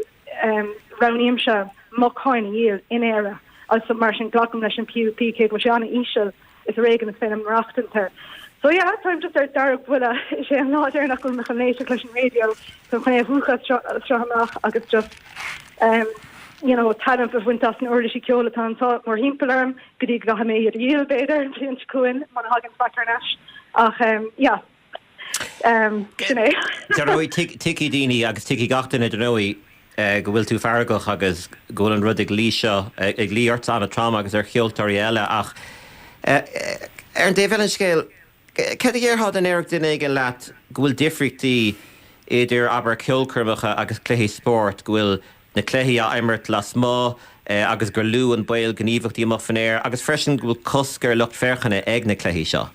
roghnaímse mo cháin a dhíol in Éire agus mar sin glacaim leis an PUP cé go bhfuil sé an-íseal. Is ar éigean is féidir liom maireachtaint air. So yeah, táim just ar deargbhuile. Is é an lá deireanach go bhfuil mé chun éisteacht leis an raidió, táim chun é a mhúchadh as seo, as seo amach agus just um, you know, taitneamh a bhaint as na uirlisí ceoil atá anseo mórthimpeall orm go dtí go gcaithfidh mé iad a dhíol, b'fhéidir, an bhliain seo chugainn, muna thagann faic thar n-ais. Ach um, yeah, um, sin é. Dar ndóigh, tuigfidh daoine agus tuigfidh gach duine, dar ndóigh, go bhfuil tú feargach agus go bhfuil an rud ag luí seo, ag luí ortsa an-trom agus ar cheoltóirí eile ach ar an dtaobh eile den scéal, cad a dhéarfá dá ndéarfadh duine éigin leat go bhfuil difríochtaí idir, abair, ceolchoirmeacha agus cluichí spóirt, go bhfuil na cluichí á imirt lasmuigh agus gur lú an baol gníomhaíochtaí amuigh faoin aer agus freisin go bhfuil cosc ar lucht féachana ag na cluichí seo?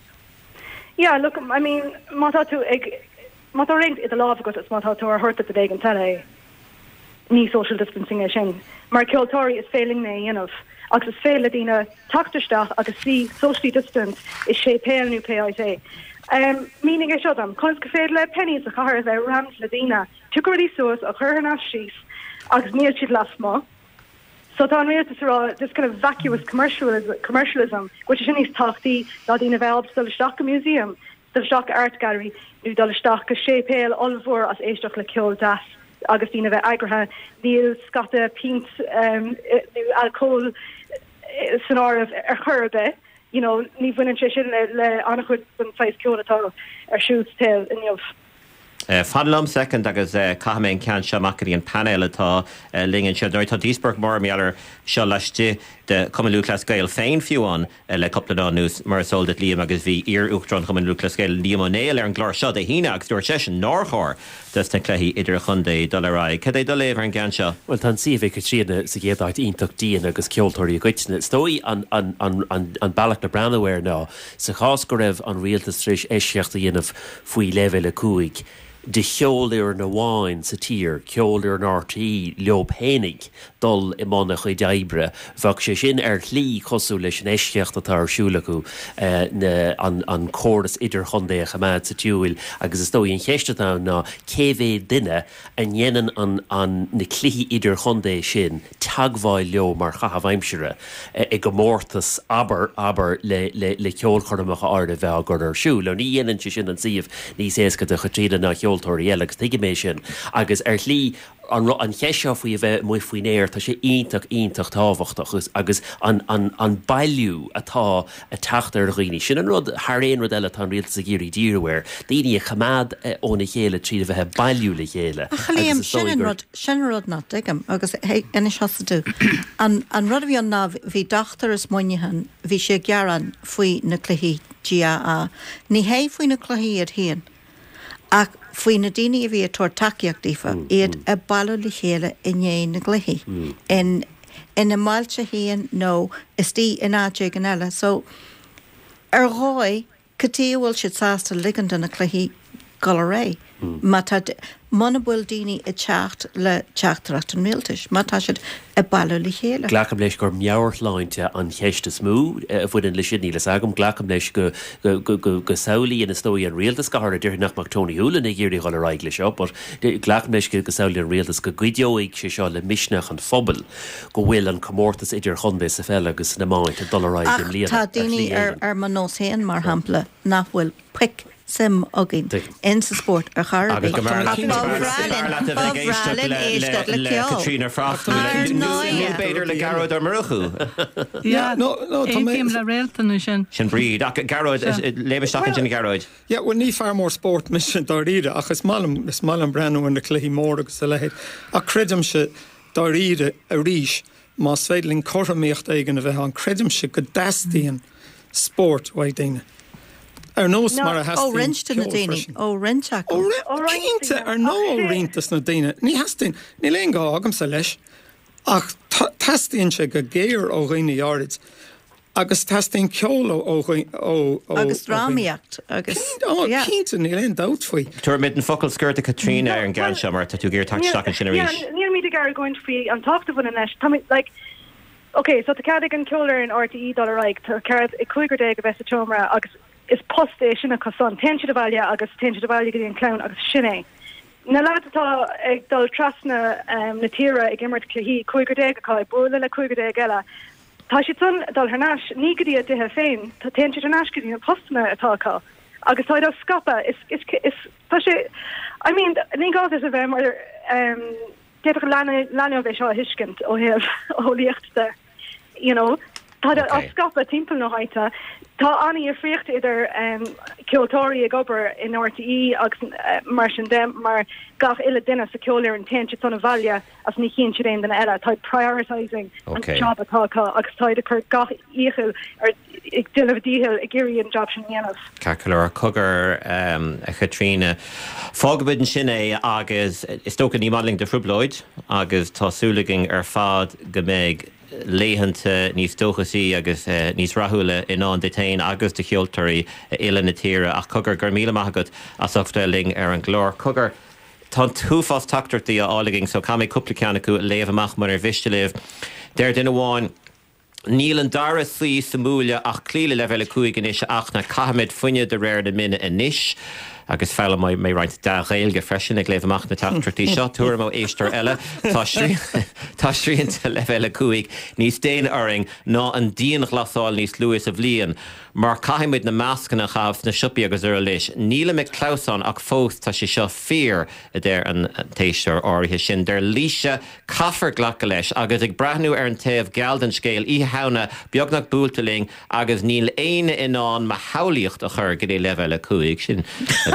Yeah, look, I mean, má tá tú ag. Má tá roinnt i do lámh agat is má tá tú ar thabhairt do duine éigin eile é, ní social distancing é sin. Mar ceoltóirí is féidir linn é a dhéanamh agus is féidir le daoine teacht isteach agus suí socially distant i séipéal nó pé áit é. Mínigh é seo dom, conas gur féidir le Penneys sa chathair a bheith rammed le daoine, piocadh rudaí suas á chur thar n-ais síos agus níl siad lasmuigh. So tá an rialtas ag rá this kind of vacuous commercialism go bhfuil sé sin níos tábhachtaí ná daoine a bheith ábalta dul isteach go museum dul isteach go art gallery nó dul isteach go séipéal ollmhór as éisteacht le ceol deas agus daoine a bheith eagraithe. Níl scata pínt nó alcól san áireamh ar chor ar bith. You know, ní bhaineann sé sin le le an-chuid den saghas ceoil atá ar siúl sa tsaol inniu. Fan liom soicind agus caithfidh mé an ceann seo amach go dtí an painéal atá linn anseo. Dar ndóigh tá díospóireacht mhór mar gheall air seo laistigh de Chumann Lúthchleas Gael féin fiú amháin le cúpla lá anuas, mar is eol duit Liam, agus bhí iar-Uachtarán Chumann Lúthchleas Gael, Liam Ó Néill, ar an gclár seo Dé hAoine agus dúirt seisean nár chóir dos na cluichí idirchontae dul ar aghaidh. Cad é do léamh ar an gceann seo? Bhuel, tá an suíomh ag Caitríona sa gcéad áit iontach dian agus ceoltóirí i gcoitinne. Is dóigh an an bealach le breathnú air ná sa chás go raibh an rialtas tar éis eisceacht a dhéanamh faoi leibhéal 5 de cheolfhoireann amháin sa tír, ceolfhoireann RTÉ, leo fhéinig dul i mbun a chuid oibre. Bheadh sé sin ar shlí cosúil leis an eisceacht atá ar siúl acu, na, an, an córas idirchontae a choimeád sa tsiúil agus is dóigh an cheist atá ann ná cé mhéad duine a ndéanann an, an, na cluichí idirchontae sin teagmháil leo mar chaitheamh aimsire i gcomórtas, abair, abair, le, le, le ceolchoirmeacha áirithe bheith á gcur ar siúl. Now ní dhéanann sé sin an suíomh níos éasca do Chaitríona ná cheoltóirí eile agus tuigim é sin agus ar shlí an, an cheist seo faoi a bheith amuigh faoin aer, tá sé iontach, iontach tábhachtach agus, agus an, an, an bailiú atá ag teacht ar dhaoine, sin an rud thar aon rud eile atá an rialtas ag iarraidh díriú air, daoine a choimeád óna chéile tríd a bheith ag bailiú le chéile Ach a Liam, agus is sin dóigh an gur. rud, sin an rud nach dtuigim agus hey, inis thusa domh. An, an rud a bhí ann ná bhí dochtúir as Muineachán, bhí sé ag gearán faoi na cluichí GAA. Ní hé faoi na cluichí iad féin ach faoi na daoine a bhí ag tabhairt tacaíocht daofa, iad ag bailiú le chéile i ndiaidh na gcluichí in ina mbailte féin nó istigh in áit éigin eile. So, ar dhóigh, cad chuige a bhfuil siad sásta ligean do na cluichí dul ar aghaidh má tá, muna bhfuil daoine ag teacht le teachtaireacht an rialtais, má tá siad ag bailiú le chéile. Glacaim leis gur meabhairshláinte an cheist is mó a bhaineann leis sin, níl fhios agam. Glacaim leis go go samhlaíonn is dóigh an rialtas, go háirithe déarfainn nach mbeadh Tony Holohan ag iarraidh dhul ar aghaidh leis seo, but glacaim leis go samhlaíonn an rialtas go gcuideoidh sé seo le misneach an phobail go bhfuil an comórtas idirchontae sa pheil agus san iomáint ag dul ar aghaidh i Ach mbliana, tá ar shlí daoine éigin. ar mo nós féin, mar shampla, nach bhfuil pic suim againn in sa spórt ar chor ar Agus bith. go mb'fhearr Ach leat ba bhreá linn, leat a ba bheith ag bhreá éisteacht linn éisteacht le le ceol. Caitríona Frost Ar nó ndóighe. b'fhéidir le Gearóid Ó Murchú. Yeah, No, no, tá mé. aontaím le Réaltán ansin. Sin Bríd. Ach Gearóid, léim isteach ansin a Ghearóid. Yeah, bhuel ní fear mór spóirt mise dáiríre ach is maith liom, is maith liom breathnú ar na cluichí móra agus a leithéid. Ach creidimse dáiríre arís Más féidir linn cothromaíocht éigin a bheith ann, creidimse go dteastaíonn spórt uaidh daoine. Ar nós mar a Ó theastaíonn roinnt de na ceol daoine, freisin. ó roinnt acu. Ó cinnte, ar ndóigh ó roinnt des na daoine. Ní theastaíonn, níl aon ghá agamsa leis, ach teastaíonn sé go géar ó dhaoine áirid. Agus teastaíonn ceol ó ó ó ó Agus drámaíocht agus Ó yeah. cinnte, níl aon dabht faoi. Tabharfaimid an focal scoir do Caitríona ar an gceann seo mar tá tú ag iarraidh teacht isteach ansin arís. Yeah, nílimid ag argóint faoi an tábhacht a bhaineann leis. Táimid like ok, so tá cead ag an ceolfhoireann RTÉ dul ar aghaidh, tá cead ag cúigear déag a bheith sa tseomra agus is post é sin acu san. Téann siad abhaile agus téann siad abhaile go dtí an clann agus sin é. Na lads atá ag dul trasna na tíre ag imirt cluichí, cúigear déag acu ag bualadh le cúigear déag eile. Tá siad san ag dul thar n-ais, ní go dtí a dtithe féin, téann siad thar n-ais go dtí na postanna atá acu agus táid á scaipeadh. Is, is, is, tá sé, I mean, ní gá duit a bheith mar, ehm, d'fhéadfadh leanbh, leanbh é seo a thuiscint ó thaobh eolaíocht de, you know. Táid á scaipeadh timpeall na háite. Tá an-dhifríocht idir ehm, ceoltóirí ag obair in RTÉ agus mar sin de, mar gach uile duine sa cheolfhoireann téann siad san abhaile agus ní chíonn siad aon duine eile. Táid prioritising an job atá acu agus táid ag cur gach iachall ar ag déanamh a dícheall ag iarraidh an job sin a dhéanamh. Ceart go leor. Cogar, a Chaitríona. Fágfaimid ansin é agus is dócha ní maith linn do thrioblóid agus tá súil againn ar fad go mbeidh laethanta níos dóchasaí agus níos rathúla i ndán duit féin agus do cheoltóirí uile na tíre. Ach cogar, go raibh míle maith agat as ucht a bheith linn ar an gclár. Cogar. Tá an t-uafás teachtaireachtaí á fháil againn so caithfidh mé cúpla ceann acu a léamh amach munar mhiste libh. Deir duine amháin, Níl an dara suí sa mbuaile ach cloí le leibhéal 5 anois a Fhachtna, caithfimid fuineadh de réir na mine anois. Agus foghlaimeoidh mé roinnt dea-Ghaeilge freisin ag léamh amach na teachtaireachtaí seo. Tuairim ó éisteoir eile, Tá tá srianta leibhéal 5 níos déine orainn ná an dianghlasáil níos luaithe sa bhliain. Mar caithfidh muid na mascanna a chaitheamh sna siopaí agus araile. Nílim ag clamhsán ach fós tá sé seo fíor, a deir an t-éisteoir áirithe sin. Deir Laoise, Caithfear glacadh leis. Agus ag breathnú ar an taobh geal den scéal, Oíche Shamhna beagnach buailte linn agus níl éinne in ann mo shamhlaíocht a chur go dtí leibhéal 5. Sin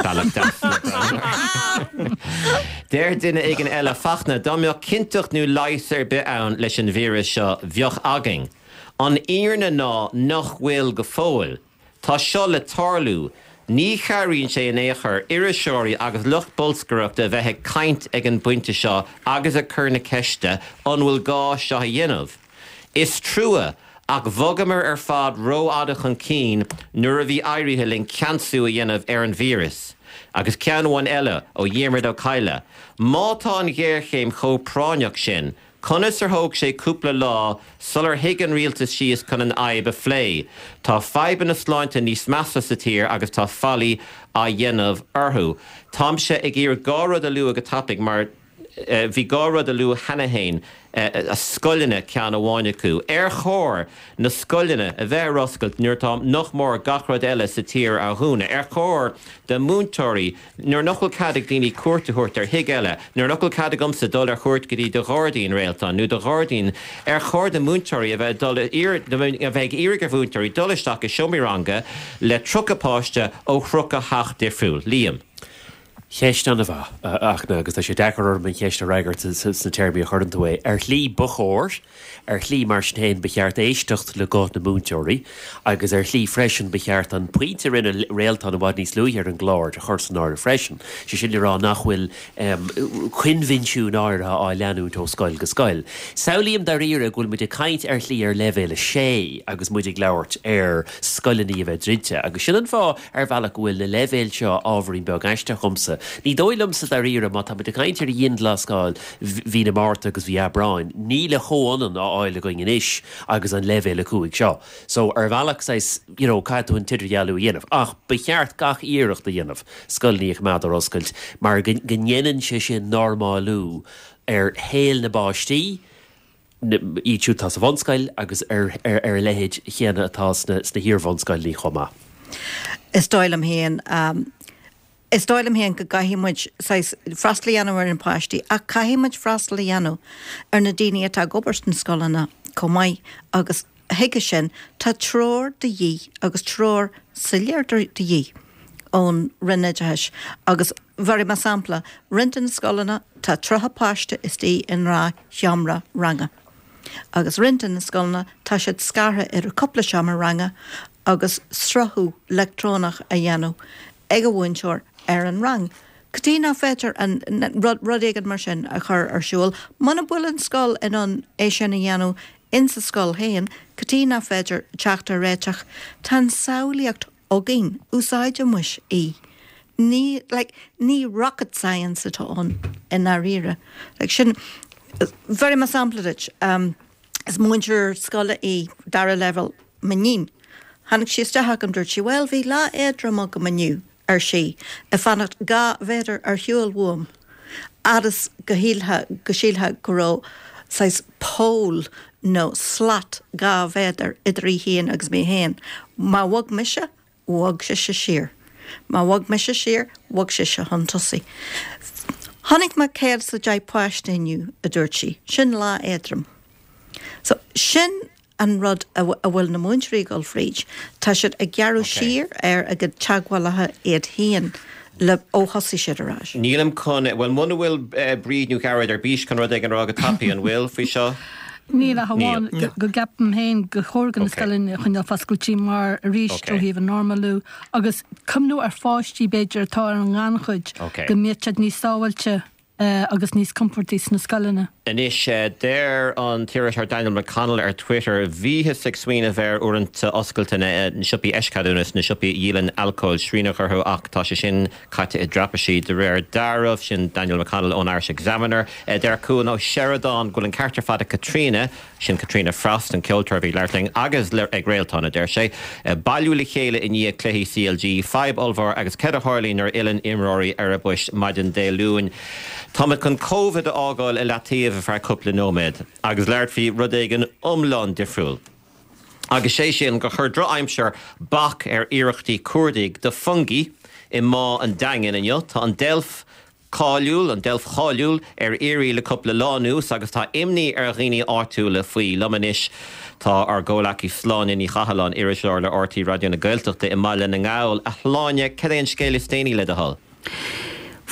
bealach deas le breathnú air. Deir duine éigin eile, Fachtna, dá mbeadh cinnteacht nó leigheas ar bith ann leis an víreas seo, bheadh againn. An fhírinne ná nach bhfuil go fóill. Tá seo le tarlú. Ní chabhraíonn sé in aon chor iriseoirí agus lucht bolscaireachta a bheith ag caint ag an bpointe seo agus ag cur na ceiste an bhfuil gá seo a dhéanamh? Is trua, ach bhogamar ar fad rófhada chun cinn nuair a bhí éirithe linn ceansú a dhéanamh ar an víreas. Agus ceann amháin eile ó Dhiarmaid Ó Cadhla, má tá an ghéarchéim chomh práinneach sin, Conas ar thóg sé cúpla lá sular shuigh an rialtas síos chun an fhadhb a phlé? Tá fadhbanna sláinte níos measa sa tír agus tá faillí á dhéanamh orthu. Táimse ag iarraidh dhá rud a lua go tapaidh mar bhí dhá rud a luadh cheana fhéin, scoileanna ceann amháin acu. Ar chóir na scoileanna a bheith ar oscailt nuair atá nach mór gach rud eile sa tír á dhúnadh? Ar chóir do mhúinteoirí Nuair nach bhfuil cead ag daoine cuairt a thabhairt ar thigh eile, nuair nach bhfuil cead agamsa dul ar chuairt go dtí do ghairdín, Réaltán, nó do ghairdín, ar chóir do mhúinteoirí a bheith ag dul a bheith ag iarraidh ar mhúinteoirí dul isteach i seomraí ranga le 30 páiste ó 30 theach difriúil? Liam. Ceist an-mhaith, a Fhachtna, agus tá sé deacair orm an cheist a fhreagairt sna téarmaí a chuireann tú é. Ar shlí, ba chóir. Ar shlí, mar sin féin, ba cheart éisteacht le guth na múinteoirí agus ar shlí freisin ba cheart an pointe a rinne Réaltán i bhfad níos luaithe ar an gclár a chur san áireamh freisin, sé sin le rá nach bhfuil coinbhinsiúin áirithe á leanúint ó scoil go scoil. Samhlaím dáiríre go bhfuil muid ag caint ar shlí ar leibhéal a sé agus muid ag labhairt ar scoileanna a bheith druidte agus sin an fáth ar bhealach go bhfuil na leibhéil seo ábhairín beag aisteach dhomsa. Ní dóigh liomsa dáiríre má tá muid ag caint ar dhianghlasáil mhí na Márta agus mhí Aibreáin, níl a chomhionann á fháil againn anois agus an leibhéal 5 seo. So, ar bhealach, saghas, you know, caithfidh tú an t-idirdhealú a dhéanamh. Ach ba cheart gach iarracht a dhéanamh scoileanna a choimeád ar oscailt mar go ndéanann sé sin normálú ar shaol na bpáistí, iad siúd atá sa bhunscoil agus ar a leithéid chéanna atá sna hiar-bhunscoileanna chomh maith. Is dóigh liom féin, Is dóigh liom féin go gcaithfidh muid saghas freastal a dhéanamh ar na páistí ach caithfidh muid freastal a dhéanamh ar na daoine atá ag obair sna scoileanna chomh maith agus chuige sin tá treoir de dhíth agus treoir soiléir de dhíth ón Roinn Oideachais agus bhéarfaidh mé sampla, roinnt de na scoileanna tá 30 páiste istigh i ngnáthsheomra ranga agus roinnt de na scoileanna tá siad scartha idir cúpla seomra ranga agus sruthú leictreonach a dhéanamh ag an mhúinteoir ar an rang. Cad chuige nach féidir an rud, rud éigin mar sin a chur ar siúl? Muna bhfuil an scoil in ann é sin a dhéanamh insa scoil féin, cad chuige nach féidir teacht ar réiteach? Tá an samhlaíocht againn, úsáidimis í. Ní, like, ní rocket science atá ann i ndáiríre. Like, sin, bhéarfaidh mé sampla duit. Is múinteoir scoile í, dara leibhéal, m'iníon. Tháinig sí isteach chugam, dúirt sí, Bhuel, bhí lá éadrom agam inniu, ar sí, ag fanacht 2 mhéadar ar shiúl uaim. Fhad is go shílfeá, go sílfeá go raibh saghas poll. nó slat 2 mhéadar idir í féin agus mé féin. Má bhog mise, bhog sise siar. Má bhog mise siar, bhog sise chun tosaigh. Chonaic mé 110 páiste inniu, a dúirt sí. Sin lá éadrom. So, sin an rud a bhfuil na múinteoirí ag dul fríd. Tá siad ag gearradh siar ar a gcuid teagmhálacha iad féin le ó thosaigh siad ar ais. Nílim chun, bhuel muna bhfuil Bríd nó Gearóid ar bís chun rud éigin a rá go tapaidh, an bhfuil, faoi seo? Níl ach amháin go gceapaim féin gur chóir do na scoileanna a choinneáil foscailte mar arís ó thaobh an normalú agus cuimhniú ar pháistí b'fhéidir atá ar an ngannchuid go mbeadh siad níos sábháilte agus níos compordaí sna scoileanna. Anois, deir an t-iriseoir Daniel McConnell ar Twitter, Bhíothas ag smaoineamh ar uaireanta oscailte na siopaí eischeadúnas, na siopaí a dhíolann alcól, srian a chur orthu ach tá sé sin caite i dtraipisí de réir dealraimh. Sin Daniel McConnell ón Irish Examiner. Deir Cuan Ó Seireadáin go bhfuil an ceart ar fad ag Caitríona, sin Caitríona Frost, an ceoltóir a bhí ag labhairt linn, agus ag Réaltán, a deir sé. Bailiú le chéile i ndiaidh cluichí CLG, fadhb ollmhór agus céard a tharlaíonn nuair a fhilleann imreoirí ar a bpoist maidin Dé Luain? Táimid chun Covid a fhágáil i leataobh ar feadh cúpla nóiméad agus labhairt faoi rud éigin iomlán difriúil. Agus sé sin gur chuir drochaimsir bac ar iarrachtaí cuardaigh do Fungie i mBá an Daingin inniu. Tá an deilf cáiliúil, an deilf cháiliúil, ar iarraidh le cúpla lá anuas agus tá imní ar dhaoine áitiúla faoi. Liom anois tá ár gcomhleacaí Sláine Ní Chathalláin, iriseoir le RTÉ Raidió na Gaeltachta i mBaile na nGall. A Shláine, cad é an scéal is déanaí le do thoil?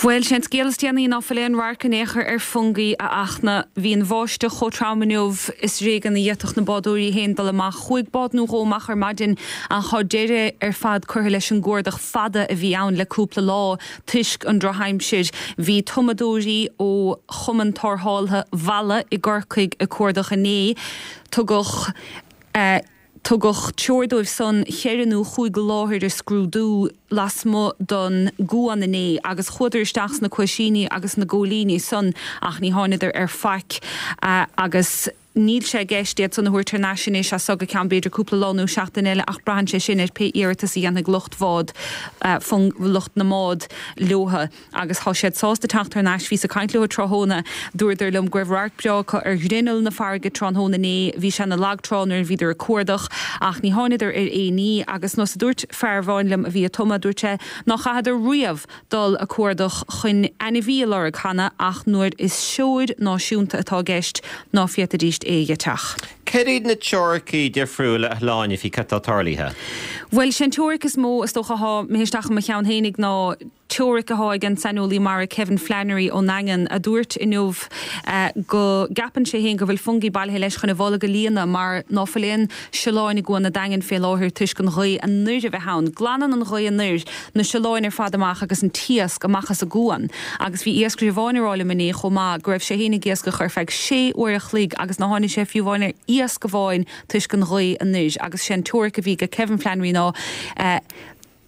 Bhuel, sé an scéal is déanaí ná fuil aon radharc in aon chor ar Fungie, a Fhachtna. Bhí an bháisteach chomh trom inniu is ar éigean a d'fhéadfadh na bádóirí féin dul amach. Chuaigh bád nó dhó amach ar maidin ach tá deireadh ar fad curtha leis an gcuardach fada a bhí ann le cúpla lá toisc an drochaimsir. Bhí tumadóirí ó Chumann Tarrthála Mhalla i gCorcaigh ag cuardach inné. Tugadh. Tugadh treoir dóibh san cheithre nó chúig láthair a scrúdú lasmuigh don gcuan inné agus chuadar isteach sna cuaisíní agus na góilíní san ach ní tháinadar ar faic agus níl sé i gceist iad san a thabhairt thar n-ais anois as so go ceann b'fhéidir cúpla lá nó seachtain eile ach braitheann sé sin ar pé iarratas a dhéanfaidh lucht bhád lucht na mbád leotha. agus thá siad sásta teacht thar n-ais. Bhíos ag caint leo tráthnóna. Dúradar liom go raibh radharc breá acu ar ghrinneall na farraige tráthnóna inné. Bhí sé ina lag trá nuair a bhíodar ag cuardach, ach ní tháinadar ar aon ní. Agus nós a dúirt fear amháin liom a bhí ag tumadh, dúirt sé ná chaitheadar riamh dul ag cuardach chun ainmhí a lorg cheana ach nuair is seoid náisiúnta atá i gceist ná féadfaidíst é a gheit ach. Céard iad na teoiricí difriúla a Shláine faoi cad tá tarlaithe? Bhuel, sé an teoiric is mó is dócha athá imithe isteach i mo cheann fhéinig ná, Teoiric athá ag an saineolaí mara Kevin Flannery ón nDaingean a dúirt inniu go gceapann sé féin go bhfuil Fungie bailithe leis chun a bholg a líonadh mar ná fuil aon siolláin i gCuan a' Daingin fé láthair toisc an ghaoth anoir a bheith ann. Glanann an ghaoth anoir na siolláin ar fad amach agus an t-iasc amach as an gcuan agus bhí iascaire amháin ag rá liom inné chomh maith go raibh sé féin ag iascach ar feadh sé uair a chloig agus ná tháinig sé fiú amháin ar iasc amháin toisc an ghaoth anoir agus sé an teoiric a bhí ag Kevin Flannery ná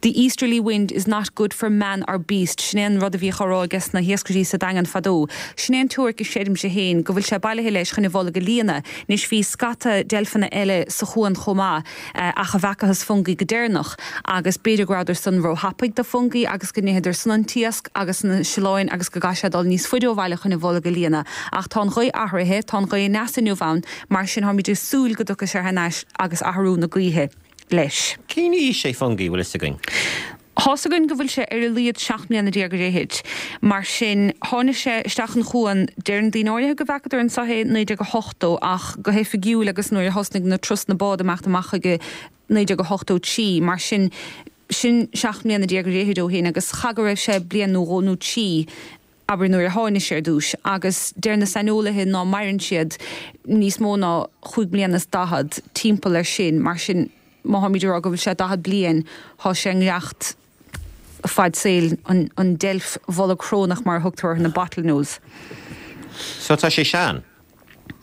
The easterly wind is not good for man or beast, sin é an rud a bhíodh á rá ages na hiascairí sa Daingean fadó. Sin é an teoiric a chreidimse féin, go bhfuil sé bailithe leis chun a bholg a líonadh. Anois bhí scata deilfeanna eile sa chuan chomh maith ach a bhfeacathas Fungie go deireanach, agus b'fhéidir go rabhadar san ró-thapaidh do Fungie agus go n-itheadar san an t-iasc agus na siolláin agus go gcaithfidh sé dul níos faide ó bhaile chun a bholg a líonadh. Ach tá an ghaoth athraithe, tá an ghaoth aneas inniu ann, mar sin táimid ag súil go dtiocfaidh sé thar n-ais agus athrú na gaoithe. leis. Cén aois é Fungie, bhfuil fhios againn? Tá's againn go bhfuil sé ar a laghad 17 mbliana ar fhichid. Mar sin, tháinig sé isteach an chuan, deireann daoine áirithe go bhfeacadar anso é 1980 ach go hoifigiúil agus nuair a thosnaigh na turasanna bád imeacht amach chuige 1983. Mar sin, sin 17 mbliana ar fhichid ó shin agus cha go raibh sé bliain nó dhó nó trí abair nuair a tháinig sé ar dtús, agus deir na saineolaithe ná maireann siad níos mó ná chúig mbliana is daichead, timpeall ar sin, mar sin má tháimid ag rá go bhfuil sé 40 bliain, thá sé i ngiorracht fad saoil an deilf bholgshrónach mar a thugtar orthu, na bottlenose. So tá sé sean?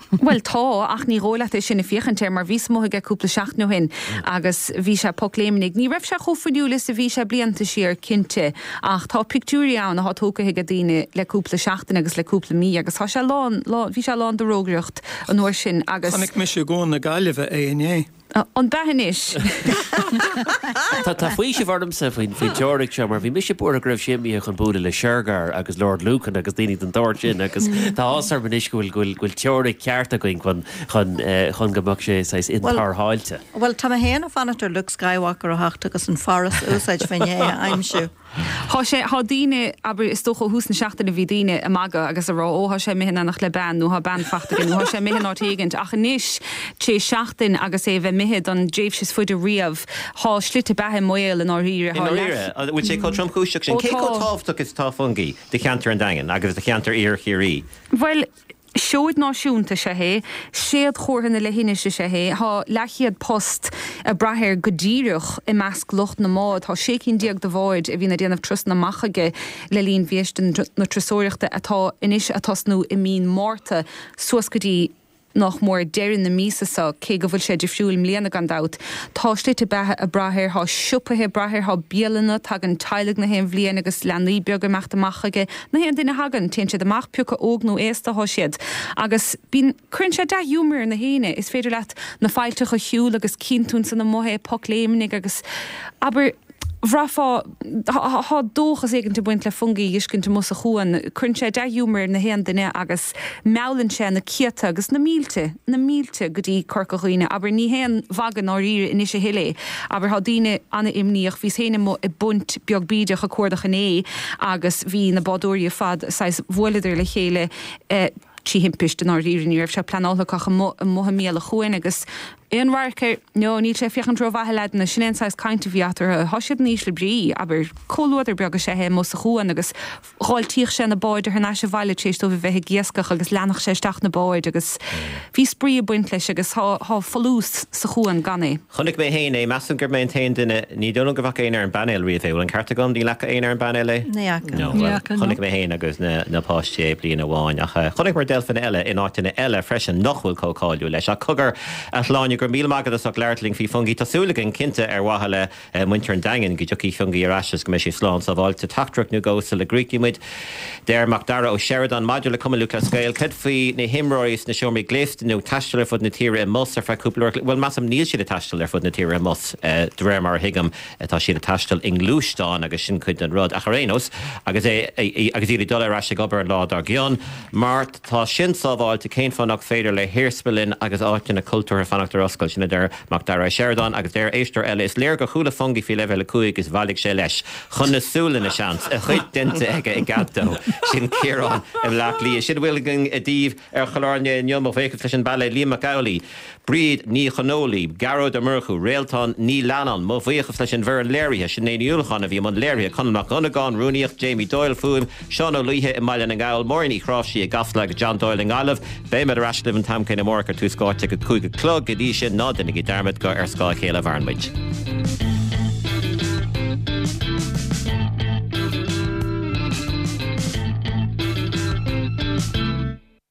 Bhuel, tá, ach ní dhóigh leat é sin ag féachaint air, mar bhíos amuigh aige cúpla seachtain ó shin agus bhí sé pocléimnigh. Ní raibh sé chomh fuinniúil is a bhí sé blianta siar, cinnte, ach tá pictiúirí ann athá tógtha aige daoine le cúpla seachtain agus le cúpla mí agus tá sé lán, lán, bhí sé lán de rógaireacht an uair sin agus. Chonaic mise i gCuan na Gaillimhe é inné. An b'ea anois? Tá faoiseamh ormsa faoin teoiric seo mar bhí mise buartha go raibh sé imithe chun bualadh le Shergar agus Lord Lucan agus daoine den tsórt sin agus tá áthas orm anois go bhfuil go bhfuil go bhfuil teoiric ceart againn chun chun chun go mbeadh sé saghas intarrtháilte. Bhuel, tá mé féin ag fanacht ar Luke Skywalker a theacht agus an fearas a úsáid fá choinne é a aimsiú. Thá sé, thá daoine, abair, is dócha ó thús na seachtaine bhí daoine ag magadh agus ag rá, ó thá sé imithe in éineacht le bean nó thá bean fachta aige nó thá sé imithe in áit éigint ach anois, tar éis seachtain agus é a bheith imithe don dtréimhse is faide riamh, thá slite beatha i mbaol i ndáiríre, I thá ndáiríre, leath. an bhfuil sé chomh tromchúiseach sin? Ó Cé chomh tá. tábhachtach is atá Fungie do cheantar an Daingin agus do cheantar Iarthar Chiarraí? Bhuel, Seoid náisiúnta is ea é, séadchomhartha na leithinise is ea é, thá leathchéad post ag brath air go díreach i measc lucht na mbád, thá 16 cinn de bháid a bhíonn ag déanamh turasanna amach chuige le linn mhí na turasóireachta atá anois ag tosnú i mí an Mhárta suas go dtí nách mór deireadh na míosa so, cé go bhfuil sé difriúil i mbliana gan dabht. Tá slite beatha ag brath air, thá siopaithe ag brath air, thá bialanna, tagann teaghlaigh na haon bhliain agus leanaí beaga ag imeacht amach chuige. Na haon duine a thagann, téann siad amach, pé acu óg nó aosta athá siad. Agus bíonn, cuireann sé dea-ghiúmar ar na héinne. Is féidir leat na faillteacha a shiúl agus cíonn tú ansan amuigh é, poc léimnigh agus, abair, bhraithfeá, thá dóchas éigint ag baint le Fungie a fheiscint amuigh sa chuan. Cuireann sé dea-ghiúmar ar na haon duine agus meallann sé na céadta agus na mílte, na mílte go dtí Corca Dhuibhne. Abair, ní haon mhagadh i ndáiríre anois a thuilleadh é. Abair, thá daoine ana-imníoch. Bhíos féin amuigh i bpunt beag bídeach ag cuardach inné agus bhí na bádóirí ar fad saghas, bhuaileadar le chéile trí thimpist i ndáiríre, ní raibh sé pleanáilte acu ach amuigh, amuigh i mbéal an chuain agus aon radharc air, no, níl sé ag féachaint rómhaith a leaideanna, sin é an saghas cainte a bhí eatarthu. Thá siad in ísle brí, abair, comhluadar beag is ea é amuigh sa chuan agus dh'fháiltíodh sé na báid thar n-ais abhaile tar éis dóibh a bheith ag iascach agus leanfadh sé isteach na báid agus bhí spraoi ag baint leis agus thá, thá folús sa chuan gan é. Chonaic mé féin é, measaim gurb mé an t-aon duine, ní dóigh liom go bhfaca éinne ar an bpainéal riamh é, bhfuil an ceart agam? Níl fhaca éinne ar an bpainéal é? Ní fhaca. No, Ní bhuel, fhaca, no. chonaic mé féin agus na, na páistí é bliain amháin ach chonaiceamar deilfeanna eile in áiteanna eile freisin nach bhfuil chomh cáiliúil leis. Ach cogar, a Shláine, go raibh míle maith agat as ucht labhairt linn faoi Fungie. Tá súil againn, cinnte, ar mhaithe le muintir an Daingin, go dtiocfaidh Fungie ar ais agus go mbeidh sé slán sábháilte. Teachtaireacht nó dhó sula gcríochnaíonn muid. Deir Mac Dara Ó Seireadáin, Maidir le Cumann Lúthchleas Gael, cad faoi na himreoirí sna seomraí gléasta nó ag taisteal ar fud na tíre i mbus ar feadh cúpla uair? Bhuel, measaim níl siad ag taisteal ar fud na tíre i mbus, de réir mar a thuigim. Tá siad ag taisteal i ngluaisteáin agus sin cuid den rud. Ach ar aon nós, agus é, agus iad ag dul ar ais ag obair an lá dár gcionn, má tá sin sábháilte, cén fáth nach féidir le hiarsmalainn agus áiteanna cultúrtha fanacht ar oscailt? Sin a deir Mac Dara Ó Seireadáin agus deir éisteoir eile, Is léir gur chuala Fungie faoi Leibhéal 5 is bhailigh sé leis. Chun na Sualainne, seans. A chuid déanta aige i gcead dó. Sin Ciarán i mBleá Cliath. Sin a bhfuil againn daoibh ar chlár inniu. Mo bhuíochas leis an bpainéal, Liam Mac Amhlaigh, Bríd Ní Chonghóile, Gearóid Ó Murchú, Réaltán Ní Leannáin. Mo bhuíochas leis an bhfoireann léirithe, Sinéad Ní Uallacháin a bhí i mbun léirithe, Conall Mac Dhonnagáin, rúnaíocht, Jamie Doyle, fuaim, Seán Ó Laoithe i mBaile na nGall, Máirín Uí Chráimhsí i gCasla agus John Doyle i nGaillimh. Beimid ar ais libh an t-am céanna amárach ar Tús Áite ag a 5 a chlog. Go dtí sin, ná déanaigí dearmad gur ar scáth a chéile a mhaireann muid.